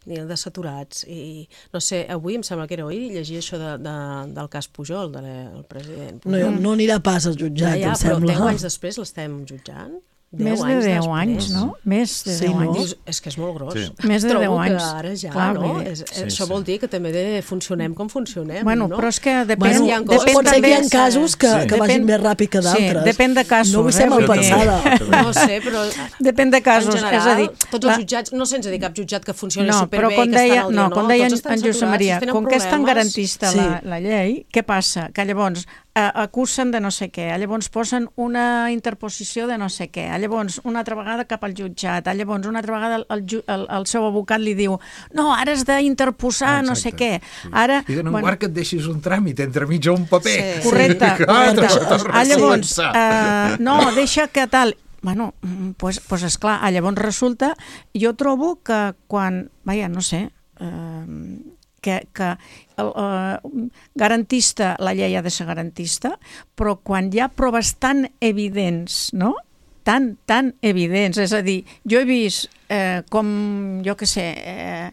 Ni de saturats. I, no sé, avui em sembla que era ahir llegir això de, de, del cas Pujol, del president No, Pujol. no anirà pas al jutjat, ja, ja, em però sembla. deu anys després l'estem jutjant? Més de deu anys, després. no? Més de Sí, deu no? anys. Dius, és que és molt gros. Sí. Més de Trobo deu anys. que ara ja, Clar, no? vull dir, És, sí, això sí. vol dir que també de funcionem com funcionem, Bueno, no? però és que depèn... Bueno, hi ha pot, coses pot ser que hi ha també- casos que, Sí. que vagin més ràpid que d'altres. Sí, depèn de casos. No vull ser eh? mal Vull dir- pensada. No sé, però Depèn de casos. en general, és a dir, tots la- els jutjats, no sense dir cap jutjat que funcioni no, superbé però com i que deia, estan al dia, no, no? com deia Tots en, estan en Josep saturats, Maria, tenen com que és tan problemes. garantista Sí. la, la llei, què passa? Que llavors eh, acusen de no sé què, llavors posen una interposició de no sé què, llavors una altra vegada cap al jutjat, llavors una altra vegada el, el, ju- el, el seu abocat li diu no, ara has d'interposar Ah, no sé exacte, què. sí. Ara, I donen bueno, guard que et deixis un tràmit entre mig o un paper. Sí. correcte, Ah, correcte. torna- torna Ah, a llavors, començar. eh, no, deixa que tal... Bueno, mm, pues, pues esclar, ah, llavors resulta... Jo trobo que quan... Vaja, no sé... Eh, que, que el, eh, garantista, la llei ha de ser garantista, però quan hi ha proves tan evidents, no?, tan, tan evidents, és a dir, jo he vist eh, com, jo què sé, eh,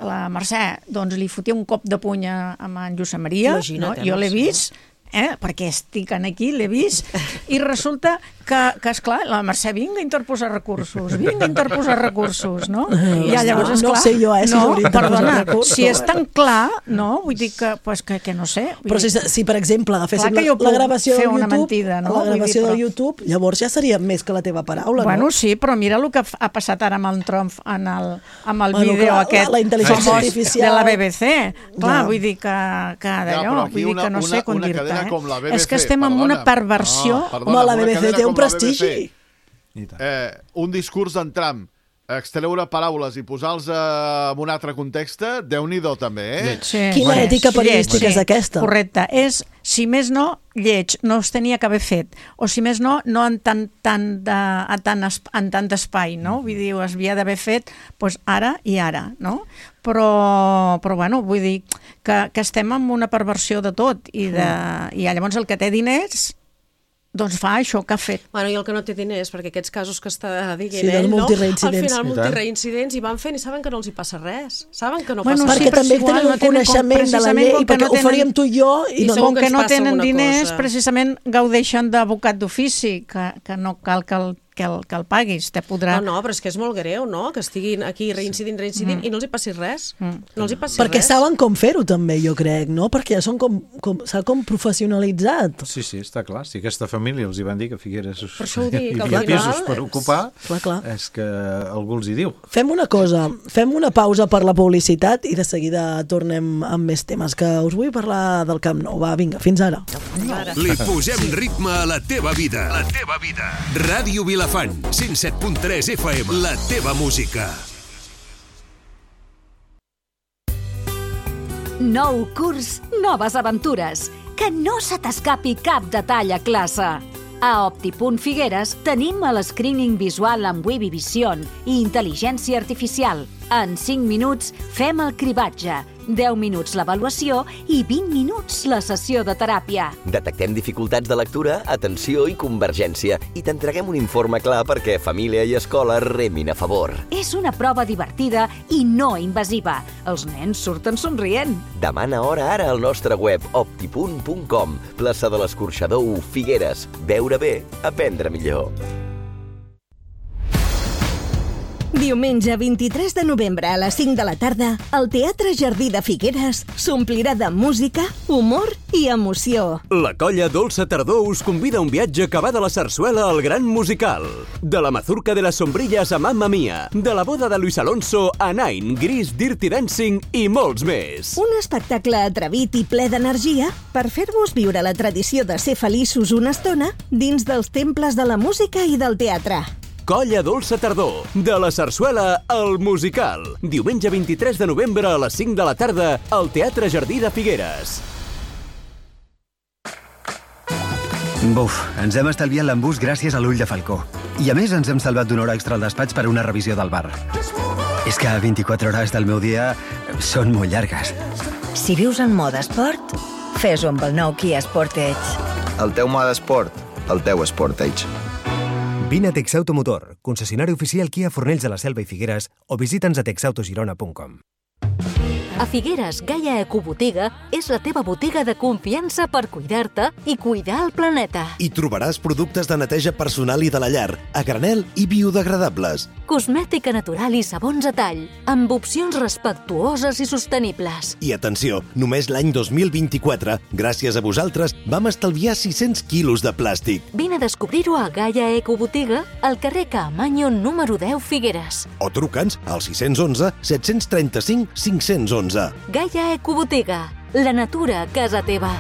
la Mercè, doncs li fotia un cop de puny a, a en Josep Maria, Imagina't, no? eh, Jo l'he Mercè. vist, eh, perquè estic aquí, l'he vist, i resulta que, que esclar, la Mercè vinga a interposar recursos, vinga a interposar recursos, no? I ja, llavors, No esclar, sé jo, eh, si no, s'hauria d'interposar perdona, recursos. si és tan clar, no? Vull dir que, pues, que, que no sé. Vull Però si, dir, si per exemple, agaféssim Clar que jo la, la puc gravació fer del una YouTube, mentida, no? la Vull dir, gravació però- del YouTube, llavors ja seria més que la teva paraula, Bueno, no? sí, però mira el que ha passat ara amb el Trump en el, amb el Bueno, vídeo clar, aquest la- la intel·ligència famós artificial. de la B B C. Clar, Ja. vull dir que, que Ja, d'allò, però aquí vull dir una- que no sé una- com una dir-te. cadena Eh? com la B B C, És que estem en perdona. una perversió. No, perdona, Home, la una B B C cadena té un com la B B C. prestigi. I tant. Eh, un discurs d'en Trump, extreure paraules i posar-los eh, en un altre context, Déu-n'hi-do també, eh? Sí. Quina ètica periodística és aquesta? Correcte. És, si més no, lleig, no es tenia que haver fet. O si més no, no en tant, tant, de, en tant, es- en tant espai, no? Vull dir, es havia d'haver fet doncs, ara i ara, no? Però, però bueno, vull dir que, que estem en una perversió de tot i, de, i llavors el que té diners doncs fa això que ha fet. Bueno, i el que no té diners, perquè aquests casos que està dient Sí, dels ell, no? Al multireincidents. final, I tant. multireincidents, i van fent i saben que no els hi passa res. Saben que no Bueno, passa Perquè sí, res. però també és igual, tenen no un tenen com- coneixement de la precisament llei, com que perquè no ho tenen- faríem tu i jo, i I no... segur Com que que ens no passa tenen alguna diners, cosa. precisament gaudeixen d'abocat d'ofici, que, que no cal que el, que el, que el paguis, te podrà... No, no, però és que és molt greu, no?, que estiguin aquí reincidint, reincidint, Mm. i no els hi passi res. No els hi passi Perquè res. saben com fer-ho també, jo crec, no? Perquè ja són com, com, s'ha com professionalitzat. Sí, sí, està clar. Si aquesta família els hi van dir que Figueres Per això ho dic, hi al havia final pisos per és- ocupar, Clar, clar. és que algú els hi diu. Fem una cosa, fem una pausa per la publicitat i de seguida tornem amb més temes, que us vull parlar del Camp Nou. Va, vinga, fins ara. Li posem ritme a la teva vida. La teva vida. Ràdio Vilafant, cent set punt tres F M. La teva música. Nou curs, noves aventures. Que no se t'escapi cap detall a classe. A Optipunt Figueres tenim el screening visual amb Webby Vision i intel·ligència artificial. En cinc minuts fem el cribatge, deu minuts l'avaluació i vint minuts la sessió de teràpia. Detectem dificultats de lectura, atenció i convergència i t'entreguem un informe clar perquè família i escola remin a favor. És una prova divertida i no invasiva. Els nens surten somrient. Demana hora ara al nostre web optipunt punt com. Plaça de l'Escorxador u, Figueres. Veure bé, aprendre millor. Diumenge vint-i-tres de novembre a les cinc de la tarda, el Teatre Jardí de Figueres s'omplirà de música, humor i emoció. La colla Dolça Tardor us convida a un viatge que va de la sarsuela al gran musical. De la mazurca de las sombrillas a Mamma Mia, de la boda de Luis Alonso a Nine, Gris, Dirty Dancing i molts més. Un espectacle atrevit i ple d'energia per fer-vos viure la tradició de ser feliços una estona dins dels temples de la música i del teatre. Colla Dolça Tardor, de la sarsuela al musical. Diumenge vint-i-tres de novembre a les cinc de la tarda al Teatre Jardí de Figueres. Buf, ens hem estalviat l'embús gràcies a l'ull de falcó. I a més ens hem salvat d'una hora extra al despatx per una revisió del bar. És que vint-i-quatre hores del meu dia són molt llargues. Si vius en mode esport, fes-ho amb el nou Kia Sportage. El teu mode esport, el teu Sportage. Vine a Texautomotor, concessionari oficial Kia Fornells de la Selva i Figueres o visita'ns a texautogirona punt com. A Figueres, Gaia Ecobotiga és la teva botiga de confiança per cuidar-te i cuidar el planeta. Hi trobaràs productes de neteja personal i de la llar, a granel i biodegradables. Cosmètica natural i sabons a tall, amb opcions respectuoses i sostenibles. I atenció, només l'any dos mil vint-i-quatre, gràcies a vosaltres, vam estalviar sis-cents quilos de plàstic. Vine a descobrir-ho a Gaia Ecobotiga, al carrer Caamaño número deu, Figueres. O truca'ns al sis u un, set tres cinc, cinc u un. Gaia Ecobotiga, la natura a casa teva.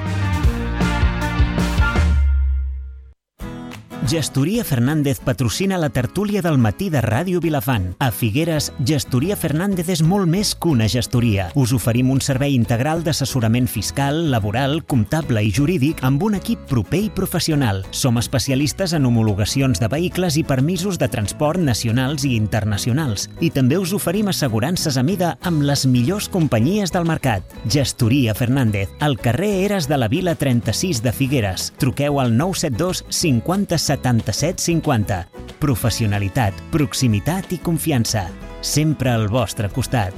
Gestoria Fernández patrocina la tertúlia del matí de Ràdio Vilafant. A Figueres, Gestoria Fernández és molt més que una gestoria. Us oferim un servei integral d'assessorament fiscal, laboral, comptable i jurídic amb un equip proper i professional. Som especialistes en homologacions de vehicles i permisos de transport nacionals i internacionals. I també us oferim assegurances a mida amb les millors companyies del mercat. Gestoria Fernández, al carrer Eres de la Vila trenta-sis de Figueres. Truqueu al nou set dos cinquanta setanta-set cinquanta. Professionalitat, proximitat i confiança. Sempre al vostre costat.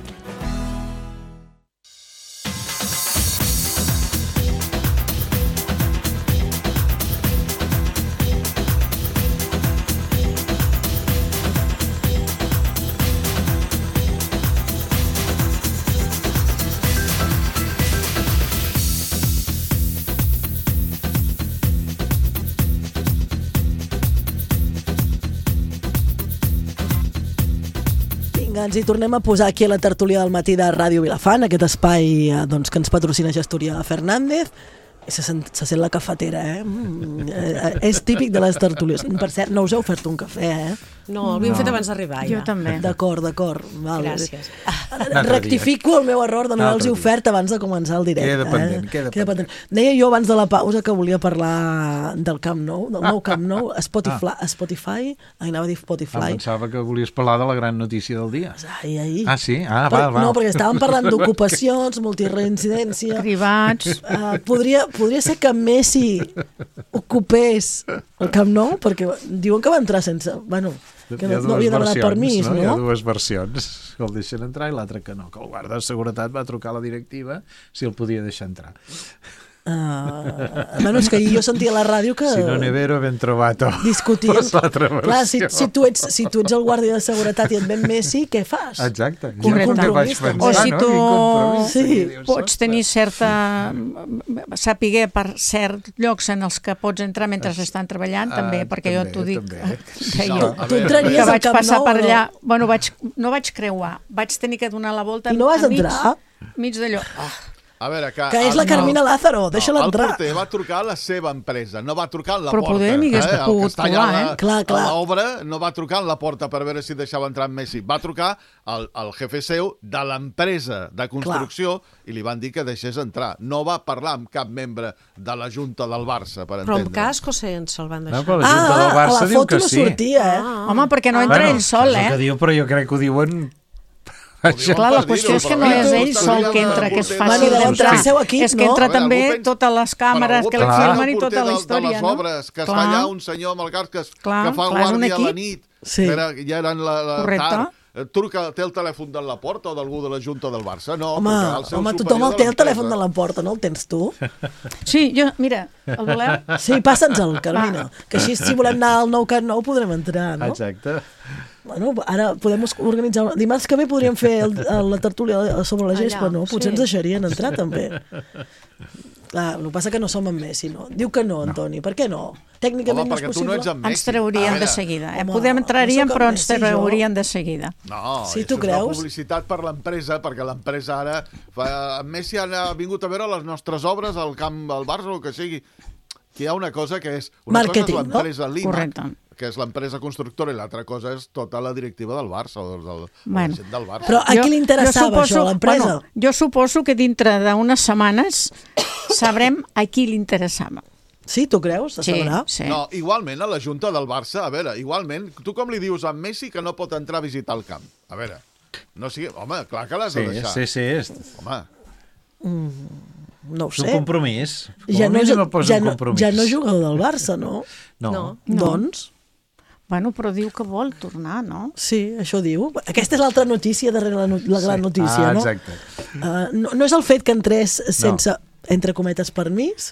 Ens hi tornem a posar aquí a la tertúlia del matí de Ràdio Vilafant, aquest espai doncs, que ens patrocina Gestoria Fernández. Se sent, se sent la cafetera, eh? Mm, eh? És típic de les tertúlies. Per cert, no us heu ofert un cafè, eh? No, l'havíem no. fet abans d'arribar, ja. Jo també. D'acord, d'acord. Vale. Gràcies. Rectifico el meu error de no haver-los ofert abans de començar el directe. Queda pendent, eh? queda, queda pendent. Deia jo abans de la pausa que volia parlar del Camp Nou, del nou Camp Nou, Spotify, ah. Spotify, ai, anava a dir Spotify. Ah, pensava que volies parlar de la gran notícia del dia. Ai, ai. Ah, sí? Ah, per, val, val. No, perquè estàvem parlant d'ocupacions, multireincidència... Privats... Uh, podria, podria ser que Messi ocupés el Camp Nou, perquè diuen que va entrar sense... Bueno, que no, no havia demanat permís, no? no? Hi ha dues versions. El deixen entrar i l'altre que no. Que el guarda de seguretat va trucar a la directiva si el podia deixar entrar. Uh, bueno, és que jo sentia a la ràdio que... Si no Nevero ben trovato. Discutien. Clar, si, si, tu ets, si tu ets el guàrdia de seguretat i et ven Messi, què fas? Exacte. Correcte. Vaig pensar, o si tu no? sí. pots tenir certa... saber per cert llocs en els que pots entrar mentre estan treballant, també, uh, perquè també, jo t'ho dic. També. Que no, jo, tu entraries que al vaig Camp passar Nou, per allà... No? Bueno, vaig, no vaig creuar. Vaig tenir que donar la volta I no vas a mig, entrar? mig d'allò. Oh. A veure, que... Que és la Carmina no, Lázaro, deixa-la no, entrar. El porter va trucar a la seva empresa, no va trucar a la Però porta. Però poder m'hi hagués eh? pogut trobar, eh? Clar, clar. A l'obra no va trucar a la porta per veure si deixava entrar en Messi. Va trucar al, al jefe seu de l'empresa de construcció clar. I li van dir que deixés entrar. No va parlar amb cap membre de la Junta del Barça, per entendre. Però amb casco sense el van deixar. No, però la Junta ah, del Barça a la diu foto que no sí. sortia, eh? Ah. Home, perquè no entra bueno, ell sol, eh? Que diu, però jo crec que ho diuen... Clar, la qüestió és que no és ell sol que entra, que és fàcil d'entrar. És que entra també totes les càmeres que la filmen i tota la història, no? De les obres, que està allà un senyor amb el cas que fa guàrdia a la nit, ja eren la tard. Truca, té el telèfon de la Porta o d'algú de la Junta del Barça? No, home, home tothom el té el telèfon de la Porta, no el tens tu? Sí, jo, mira, el voleu? Sí, passa'ns-el, Carmina, que així si volem anar al nou Camp Nou podrem entrar, no? Exacte. Bueno, ara podem organitzar... Dimarts que ve podríem fer el, la tertúlia sobre la gespa, no? Potser ens deixarien entrar, també. Clar, el que passa que no som amb Messi, no? Diu que no, Antoni, per què no? Tècnicament no és possible. Ens traurien de seguida. Podem entraríem, però ens traurien de seguida. No, sí, tu és creus? una publicitat per l'empresa, perquè l'empresa ara... Messi ha vingut a veure les nostres obres al camp del Barça o el que sigui. Que hi ha una cosa que és... Marketing, no? Correcte. Que és l'empresa constructora, i l'altra cosa és tota la directiva del Barça o del, bueno, del, del Barça. Però a qui li interessava suposo, això, a l'empresa? Bueno, jo suposo que dintre d'unes setmanes sabrem a qui li interessava. Sí, tu creus? Sí, sí. No, igualment, a la Junta del Barça, a veure, igualment, tu com li dius a Messi que no pot entrar a visitar el camp? A veure, no sigui... Home, clar que l'has de deixar. Sí, sí, sí. Home... Mm, no ho sé. És un compromís. Ja no, no, ja, no, ja no jugador del Barça, no? No. no. Doncs... Bueno, però diu que vol tornar, no? Sí, això diu. Aquesta és l'altra notícia darrere la, no la gran sí. notícia, ah, no? Exacte. Uh, no? No és el fet que entrés sense, no. entre cometes, permís,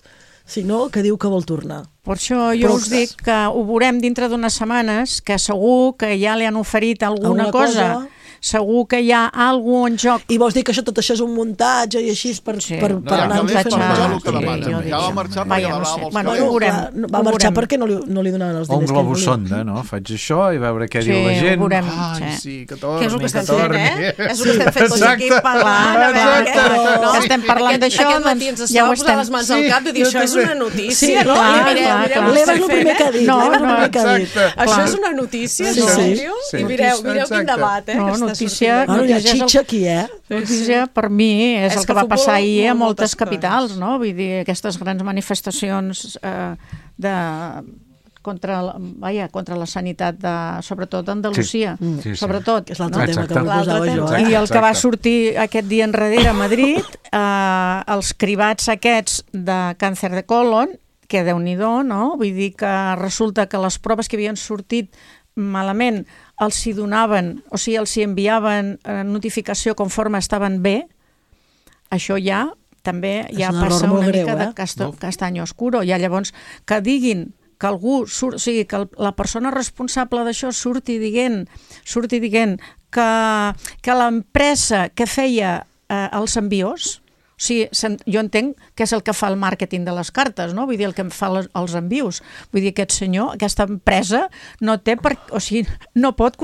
sinó que diu que vol tornar. Per això jo però us dic que ho veurem dintre d'unes setmanes, que segur que ja li han oferit alguna, alguna cosa... cosa segur que hi ha alguna en joc. I vols dir que això, tot això és un muntatge i així per, sí. per, no, per anar no, fent no, que demana. Ja va marxar perquè no sé. els bueno, calés. Veurem, no, va marxar perquè no li, no li donaven els diners. O un globus sonda, no? Faig això i veure què sí, diu la gent. Veurem, Ai, sí. sí, que torni, que és el que estem fent, eh? És el que estem fent tots aquí parlant. Exacte. Que estem parlant d'això, doncs ja ho estem. Les mans al cap i dir, això és una notícia, no? L'Eva és el primer que ha dit. Això és una notícia, en sèrio? I mireu quin debat, eh? No, notícia... Hi ha xitxa aquí, eh? Notícia, per mi, és el que va passar ahir a moltes capitals, no? Vull dir, aquestes grans manifestacions de... contra la, vaja, contra la sanitat, de, sobretot d'Andalusia, sí. sí, sí. sobretot. És l'altre no? tema que proposava jo. Eh? I el que va sortir aquest dia enrere a Madrid, eh, els cribats aquests de càncer de colon, que déu-n'hi-do, no? Vull dir que resulta que les proves que havien sortit malament els hi donaven, o sigui, els hi enviaven notificació conforme estaven bé, això ja també ja passa una greu, mica eh? de casto, castany oscuro. Ja llavors que diguin que algú surt, o sigui, que la persona responsable d'això surti dient, surti dient que, que l'empresa que feia eh, els envios, o sigui, jo entenc que és el que fa el màrqueting de les cartes, no? Vull dir, el que fa les, els envios. Vull dir, aquest senyor, aquesta empresa, no té per... O sigui, no pot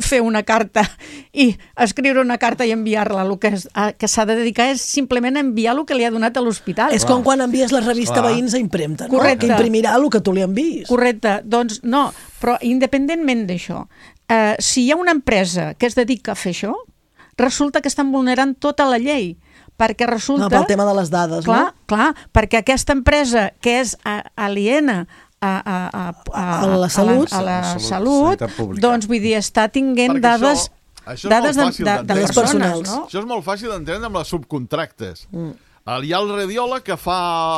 fer una carta i escriure una carta i enviar-la. El que, que s'ha de dedicar és simplement a enviar el que li ha donat a l'hospital. És com quan envies la revista Clar. Veïns a impremta, no? Correcte. Que imprimirà el que tu li enviïs. Correcte. Doncs no, però independentment d'això, eh, si hi ha una empresa que es dedica a fer això, resulta que estan vulnerant tota la llei. Perquè resulta... No, pel tema de les dades, clar, no? Clar, perquè aquesta empresa que és aliena a, a, a, a, a la salut, a la, a la salut doncs vull dir, està tinguent perquè dades, això, això dades de, de, de les persones. No? Això és molt fàcil d'entendre amb les subcontractes. Mm. Hi ha el radiòleg que fa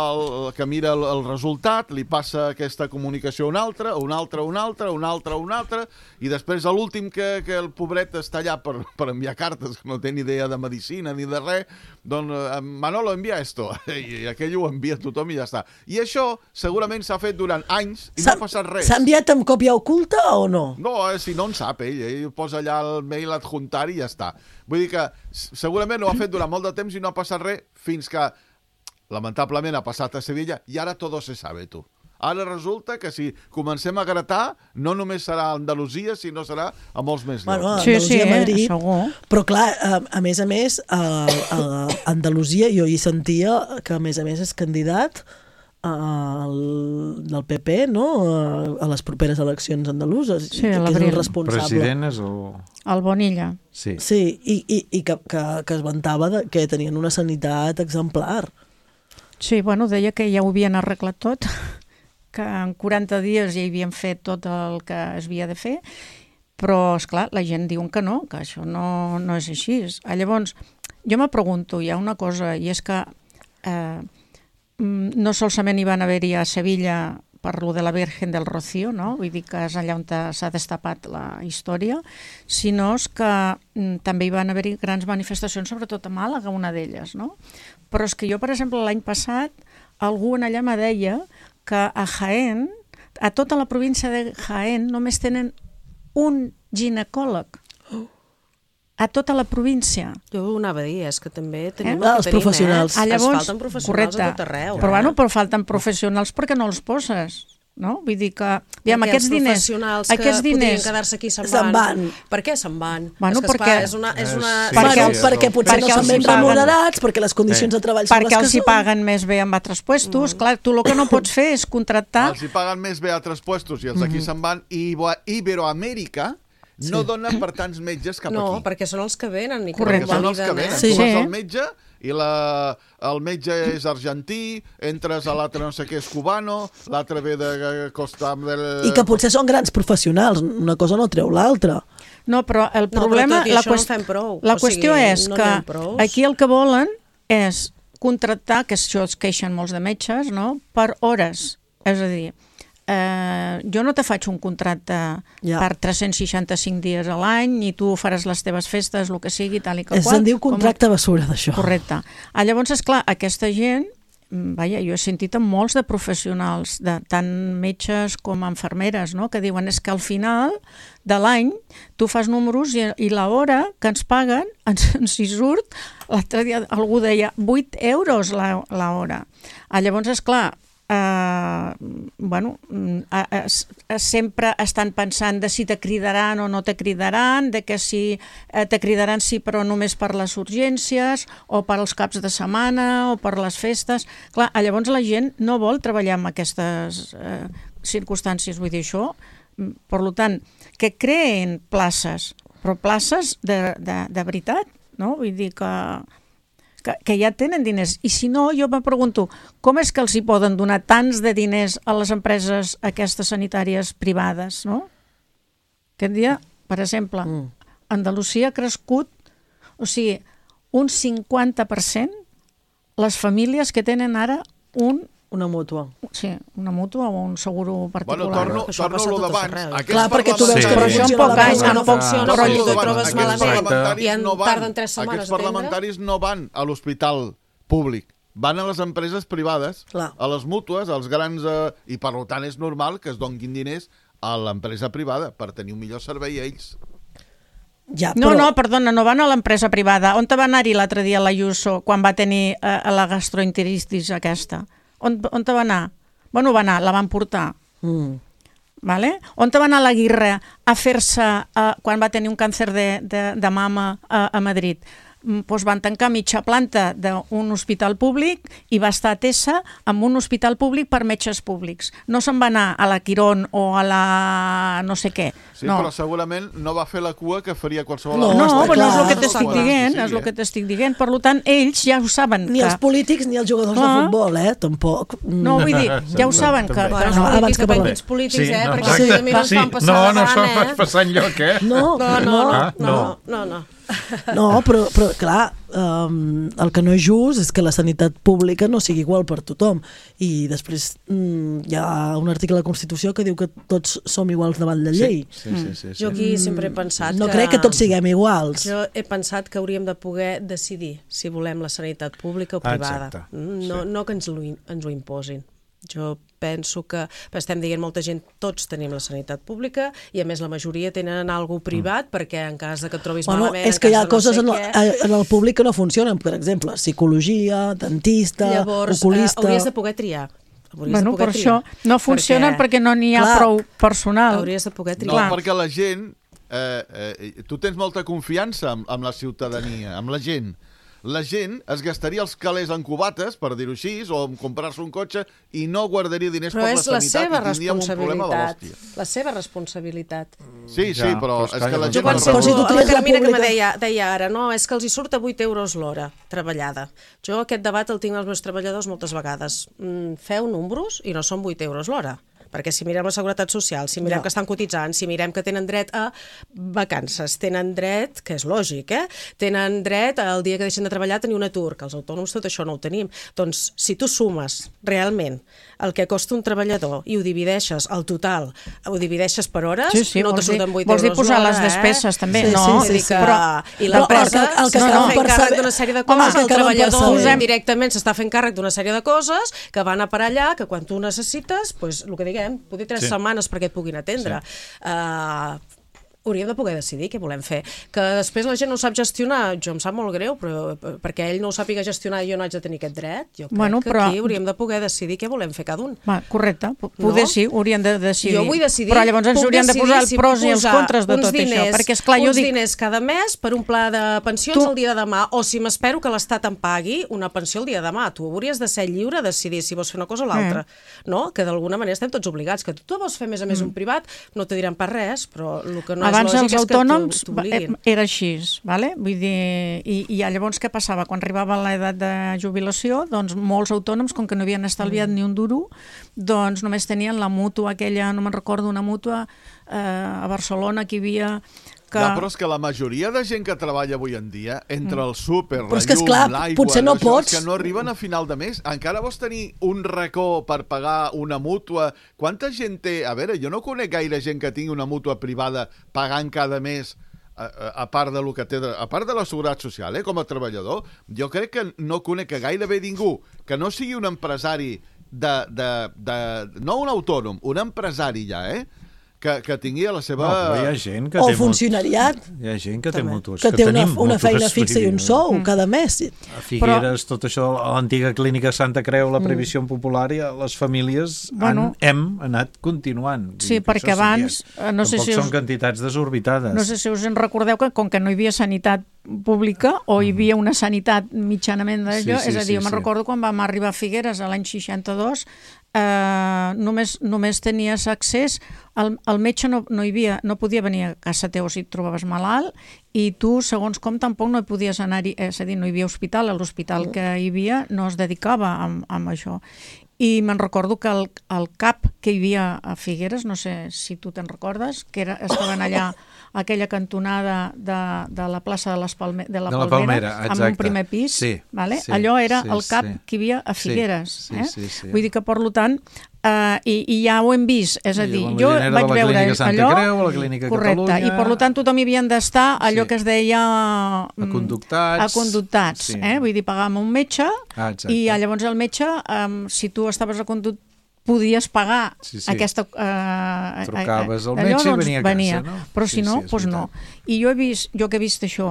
el, que mira el, el resultat, li passa aquesta comunicació a un altre, a un altre, a un altre, a un altre, a un altre, i després a l'últim que, que el pobret està allà per, per enviar cartes, que no té ni idea de medicina ni de res, doncs Manolo envia esto, i, i aquell ho envia a tothom i ja està. I això segurament s'ha fet durant anys i no ha passat res. S'ha enviat amb còpia oculta o no? No, eh, si no en sap ell, ell posa allà el mail adjuntar i ja està. Vull dir que segurament ho ha fet durant molt de temps i no ha passat res fins que, lamentablement, ha passat a Sevilla i ara tot se sabe, tu. Ara resulta que si comencem a gratar, no només serà a Andalusia, sinó serà a molts més llocs. Bueno, a Andalusia, sí, sí, Madrid, segur. Però clar, a, a més a més, a, a Andalusia jo hi sentia que a més a més és candidat al, del P P, no? A, a les properes eleccions andaluses. Sí, que és el responsable. President és el... El Bonilla. Sí, sí i, i, i que, que, que es vantava de, que tenien una sanitat exemplar. Sí, bueno, deia que ja ho havien arreglat tot, que en quaranta dies ja havien fet tot el que es havia de fer, Però, esclar, la gent diu que no, que això no, no és així. Llavors, jo me pregunto, hi ha una cosa, i és que eh, no solament hi van haver-hi a Sevilla per lo de la Virgen del Rocío, no? Vull dir que és allà on s'ha destapat la història, sinó que mm, també hi van haver-hi grans manifestacions, sobretot a Màlaga, una d'elles, no? Però és que jo, per exemple, l'any passat, algú en allà me deia que a Jaén, a tota la província de Jaén, només tenen un ginecòleg. A tota la província. Jo ho anava a dir, és que també tenim eh? Els professionals. Eh? Ah, llavors, es falten professionals correcte. a tot arreu. Però, bueno, però falten professionals perquè no els poses, no? Vull dir que, aviam, aquests diners... professionals que aquests diners, podrien quedar-se aquí se'n se'n van. van. Per què se'n van? Bueno, és que, perquè- esclar, és una... És una... Sí, Perquè, sí, perquè potser perquè no els són ben hi paguen. remunerats, perquè les condicions de treball són perquè les que els hi són. paguen més bé amb altres puestos. Clar, tu el que no pots fer és contractar... Els hi paguen més bé a altres puestos i els d'aquí se'n van. I Ibo- Iberoamèrica no dona per tants metges cap No, aquí. perquè són els que venen i que Perquè són els que validen, venen. eh? Sí. Tu vas Sí. al metge i la, el metge és argentí, entres a l'altre no sé què és cubano, l'altre ve de Costa del... I que potser són grans professionals, una cosa no treu l'altra. No, però el No, problema... però tot i la això no qüest- en fem prou. La O qüestió sigui, és no que n'hi ha prous. aquí el que volen és contractar, que això es queixen molts de metges, no?, per hores. És a dir, eh, jo no te faig un contracte Ja. per tres-cents seixanta-cinc dies a l'any i tu faràs les teves festes, el que sigui, tal i que Es qual. en diu com- contracte basura, d'això. Correcte. Ah, llavors, esclar, aquesta gent, mm, vaja, jo he sentit amb molts de professionals, de tant metges com infermeres, no?, que diuen és que al final de l'any tu fas números i, i l'hora que ens paguen ens, ens hi surt, l'altre dia algú deia vuit euros la, la hora. Ah, llavors, esclar, Uh, bueno, uh, uh, uh, sempre estan pensant de si te cridaran o no te cridaran, de que si uh, te cridaran sí però només per les urgències o per als caps de setmana o per les festes. Clar, llavors la gent no vol treballar en aquestes uh, circumstàncies, vull dir això. Per tant, que creen places, però places de, de, de veritat, no? Vull dir que... Que, que ja tenen diners. I si no, jo me pregunto, com és que els hi poden donar tants de diners a les empreses aquestes sanitàries privades, no? Aquest dia, per exemple, mm. Andalusia ha crescut, o sigui, un cinquanta per cent les famílies que tenen ara un... Una mútua. Sí, una mútua o un seguro particular. Bueno, torno, torno a lo d'abans. Clar, perquè tu veus Sí. que Però això en poc anys no funciona, però Torno a tu lo te d'abans. trobes Aquests malament parlamentaris i en no van- tarden tres setmanes Aquests a atendre. parlamentaris no van a l'hospital públic, van a les empreses privades, Clar. a les mútues, als grans... Eh, I per tant és normal que es donguin diners a l'empresa privada per tenir un millor servei a ells. Ja, No, però... no, perdona, no van a l'empresa privada. On te va anar-hi l'altre dia l'Ayuso quan va tenir eh, la gastroenteritis aquesta? On, on te va anar? Bueno, va anar, la van portar. Mm. Vale? On te va anar l'Aguirre a fer-se, eh, quan va tenir un càncer de, de, de mama a, a Madrid? Pues van tancar mitja planta d'un hospital públic i va estar atesa en un hospital públic per metges públics. No se'n va anar a la Quirón o a la no sé què. Sí, no. però segurament no va fer la cua que faria qualsevol No, No, està però no és clar. el que t'estic Qualsevol dient, sí, és el eh? que t'estic dient. Per tant, ells ja ho saben. Ni que... els polítics ni els jugadors Clar. de futbol, eh? Tampoc. Mm. No, vull dir, ja ho saben que... També. que Bueno, no. els abans polítics, que depèn parlem. quins polítics, eh? Perquè exacte. si a mi no Sí. fan passar No, la no se'n gana, fa eh? passar enlloc, eh? No, No, no, no, Ah, no, no. no, no. No, però, però clar, um, el que no és just és que la sanitat pública no sigui igual per tothom. I després um, hi ha un article a la Constitució que diu que tots som iguals davant la llei. Sí, sí, sí, sí. Jo aquí sempre he pensat No que... crec que tots siguem iguals. Jo he pensat que hauríem de poder decidir si volem la sanitat pública o privada. Exacte, Mm, No, sí. no que ens ho, ens ho imposin. Jo penso que, estem dient molta gent, tots tenim la sanitat pública i a més la majoria tenen algo privat perquè en cas de que et trobis Bueno, malament... és en que hi cas ha de no coses sé en què, el, en el públic que no funcionen, per exemple, psicologia, dentista, Llavors, eh, oculista... hauries de poder triar. Hauries Bueno, de poder per això triar. no funcionen perquè, perquè no n'hi ha Clar. prou personal. Hauries de poder No, triar. perquè la gent... Eh, eh, tu tens molta confiança amb, amb la ciutadania, amb la gent. La gent es gastaria els calés en cubates, per dir-ho així, o en comprar-se un cotxe, i no guardaria diners Però per la és la sanitat seva i tindríem un problema de responsabilitat. l'hòstia. La seva responsabilitat. Sí, sí, Ja, però però és és que que la ja gent... Jo no penso, Però si tu la tries la Carmina que me pública- deia, deia ara, no, és que els hi surt a vuit euros l'hora treballada. Jo aquest debat el tinc als meus treballadors moltes vegades. Mm, feu números i no són vuit euros l'hora. perquè si mirem la Seguretat Social, si mirem Ja. que estan cotitzant, si mirem que tenen dret a vacances, tenen dret, que és lògic, eh? Tenen dret el dia que deixen de treballar a tenir un atur, que els autònoms tot això no ho tenim. Doncs si tu sumes realment el que costa un treballador i ho divideixes, el total, ho divideixes per hores, Sí, sí, no te vols dir- surten vuit vols dir euros posar l'hora, les despeses, eh? també, Sí, no? Sí, sí, sí, que... Però- I però l'empresa el que- el que s'està acabem fent per càrrec saber- d'una sèrie de Home, coses, el el que acabem per treballador saber- directament s'està fent càrrec d'una sèrie de coses que van a per allà, que quan tu necessites, pues, el que diguem, poder tres Sí. setmanes perquè et puguin atendre. Sí. Uh, hauríem de poder decidir què volem fer. Que després la gent no ho sap gestionar, jo em sap molt greu, però perquè ell no ho sàpiga gestionar i jo no haig de tenir aquest dret, jo crec Bueno, que però- aquí hauríem de poder decidir què volem fer cada un. Va, correcte, P- poder No? sí, haurien de decidir. Jo vull decidir, Però llavors ens puc haurien de decidir posar els si pros puc i els posar contres de uns tot diners, això, perquè esclar, jo uns dic... diners cada mes per un pla de pensions Tu- el dia de demà, o si m'espero que l'Estat em pagui una pensió el dia de demà. Tu hauries de ser lliure a decidir si vols fer una cosa o l'altra, no? Que d'alguna manera estem tots obligats, que tu vols fer més a més un privat, no te diran per res, però el que no Abans és lògic els és que autònoms t'ho- t'obliguin. era així, vale? Vull dir, i, i llavors què passava? Quan arribava l'edat de jubilació, doncs molts autònoms, com que no havien estalviat ni un duro, doncs només tenien la mútua aquella, no me'n recordo, una mútua eh, a Barcelona que hi havia... Que... Ja, però és que la majoria de gent que treballa avui en dia, entre el súper, Però la és que, llum, esclar, l'aigua, potser no això, pots. és que no arriben a final de mes. Encara vols tenir un racó per pagar una mútua? Quanta gent té... A veure, jo no conec gaire gent que tingui una mútua privada pagant cada mes a, a, a part de lo que té, de, a part de la seguretat social, eh, com a treballador. Jo crec que no conec que gairebé ningú que no sigui un empresari de, de, de, no un autònom, un empresari ja, eh? Que, que tingui la seva... No, però hi ha gent que O té funcionariat. Mut... Hi ha gent que té mútues. Que té una, tenim una mútues, feina fixa i un vull dir, sou cada mes. A Figueres, tot això, a l'antiga clínica Santa Creu, la previsió mm. popular, i les famílies Bueno. han, hem anat continuant. Vull Sí, dir que perquè això abans, sí, eh, no sé tampoc si us- són quantitats desorbitades. No sé si us en recordeu que com que no hi havia sanitat pública o hi havia una sanitat mitjanament d'allò, Sí, sí, és a dir, sí, jo me'n sí. recordo quan vam arribar a Figueres a l'any seixanta-dos, eh, només, només tenies accés, el, el metge no, no, hi havia, no podia venir a casa teu si et trobaves malalt, i tu, segons com, tampoc no hi podies anar-hi, és a dir, no hi havia hospital, l'hospital que hi havia no es dedicava a, a això. I me'n recordo que el, el CAP que hi havia a Figueres, no sé si tu te'n recordes, que era, estaven allà a aquella cantonada de, de la plaça de, les Palme, de la De la Palmera, Palmera, amb un exacte. primer pis, Sí, vale? sí, Allò era sí, el CAP sí. que hi havia a Sí, Figueres. sí, eh? sí, sí. Vull dir que, per tant, eh, i, i ja ho hem vist, és a I dir, la jo Molinera de vaig la veure Clínica Santa allò... Creu, la Clínica correcte, Catalunya. i per tant tothom hi havien d'estar allò Sí. que es deia... mm, Aconductats. Aconductats, Sí. eh? Vull dir, pagàvem un metge, Ah, exacte. i llavors el metge, um, si tu estaves aconductat, podies pagar Sí, sí. aquesta... Eh, Trucaves al allò, metge i doncs, venia a casa, venia. no? Però Sí, si no, sí, és doncs no. I jo he vist, jo que he vist això,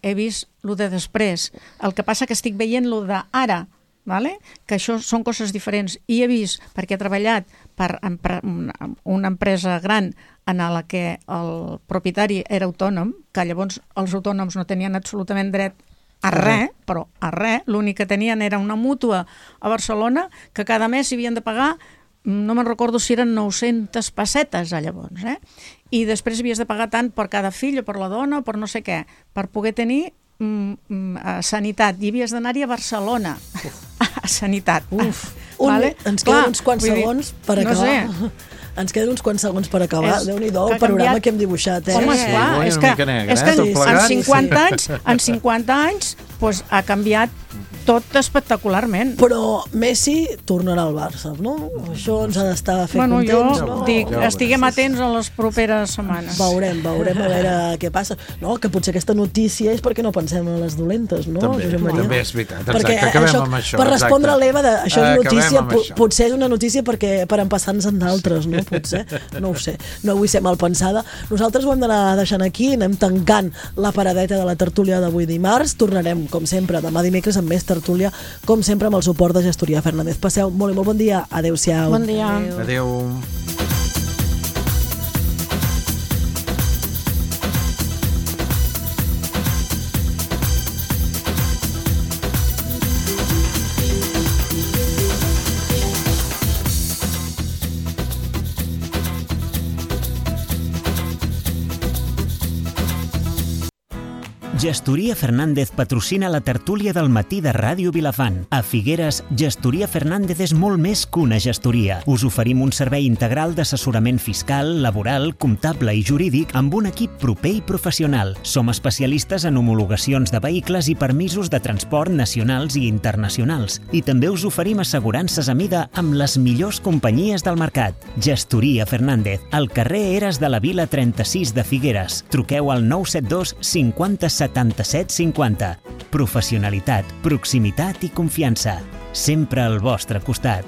he vist el de després. El que passa que estic veient el d'ara, vale? Que això són coses diferents. I he vist, perquè he treballat per empre una, una empresa gran en la que el propietari era autònom, que llavors els autònoms no tenien absolutament dret a res, però a res, l'únic que tenien era una mútua a Barcelona que cada mes s'hi havien de pagar, no me'n recordo si eren nou-centes pessetes a llavors, eh? I després havies de pagar tant per cada fill o per la dona o per no sé què, per poder tenir mm, mm, sanitat, i havies d'anar-hi a Barcelona a sanitat. Uf, un, vale? ens Clar, queden uns quants vull dir, segons per no acabar. sé. Ens queden uns quants segons per acabar. És- Déu-n'hi-do el que ha panorama canviat. que hem dibuixat. Eh? Home, Sí, esclar, una és que, mica negre, és eh, que tot en plegat. cinquanta anys, en cinquanta anys pues, ha canviat tot espectacularment. Però Messi tornarà al Barça, no? Això ens ha d'estar fent Bueno, jo contents, no? dic, Ja ho estiguem veuràs. atents a les properes setmanes. Veurem, veurem a veure què passa. No, que potser aquesta notícia és perquè no pensem en les dolentes, no? També, Josep Maria? també és veritat. Exacte, Perquè acabem això, amb això. Per respondre exacte. a l'Eva, de, això és Acabem notícia, amb po- això. potser és una notícia perquè per empassar-nos en d'altres, no? Potser, no ho sé. No vull ser mal pensada. Nosaltres ho hem d'anar deixant aquí, anem tancant la paradeta de la tertúlia d'avui dimarts. Tornarem, com sempre, demà dimecres amb més tertúlia, com sempre amb el suport de Gestoria Fernández. Passeu molt i molt bon dia. Adéu-siau. Bon dia. Adéu. Gestoria Fernández patrocina la tertúlia del matí de Ràdio Vilafant. A Figueres, Gestoria Fernández és molt més que una gestoria. Us oferim un servei integral d'assessorament fiscal, laboral, comptable i jurídic amb un equip proper i professional. Som especialistes en homologacions de vehicles i permisos de transport nacionals i internacionals. I també us oferim assegurances a mida amb les millors companyies del mercat. Gestoria Fernández, al carrer Eres de la Vila trenta-sis de Figueres. Truqueu al nou set dos cinquanta setanta-set cinquanta. Professionalitat, proximitat i confiança. Sempre al vostre costat.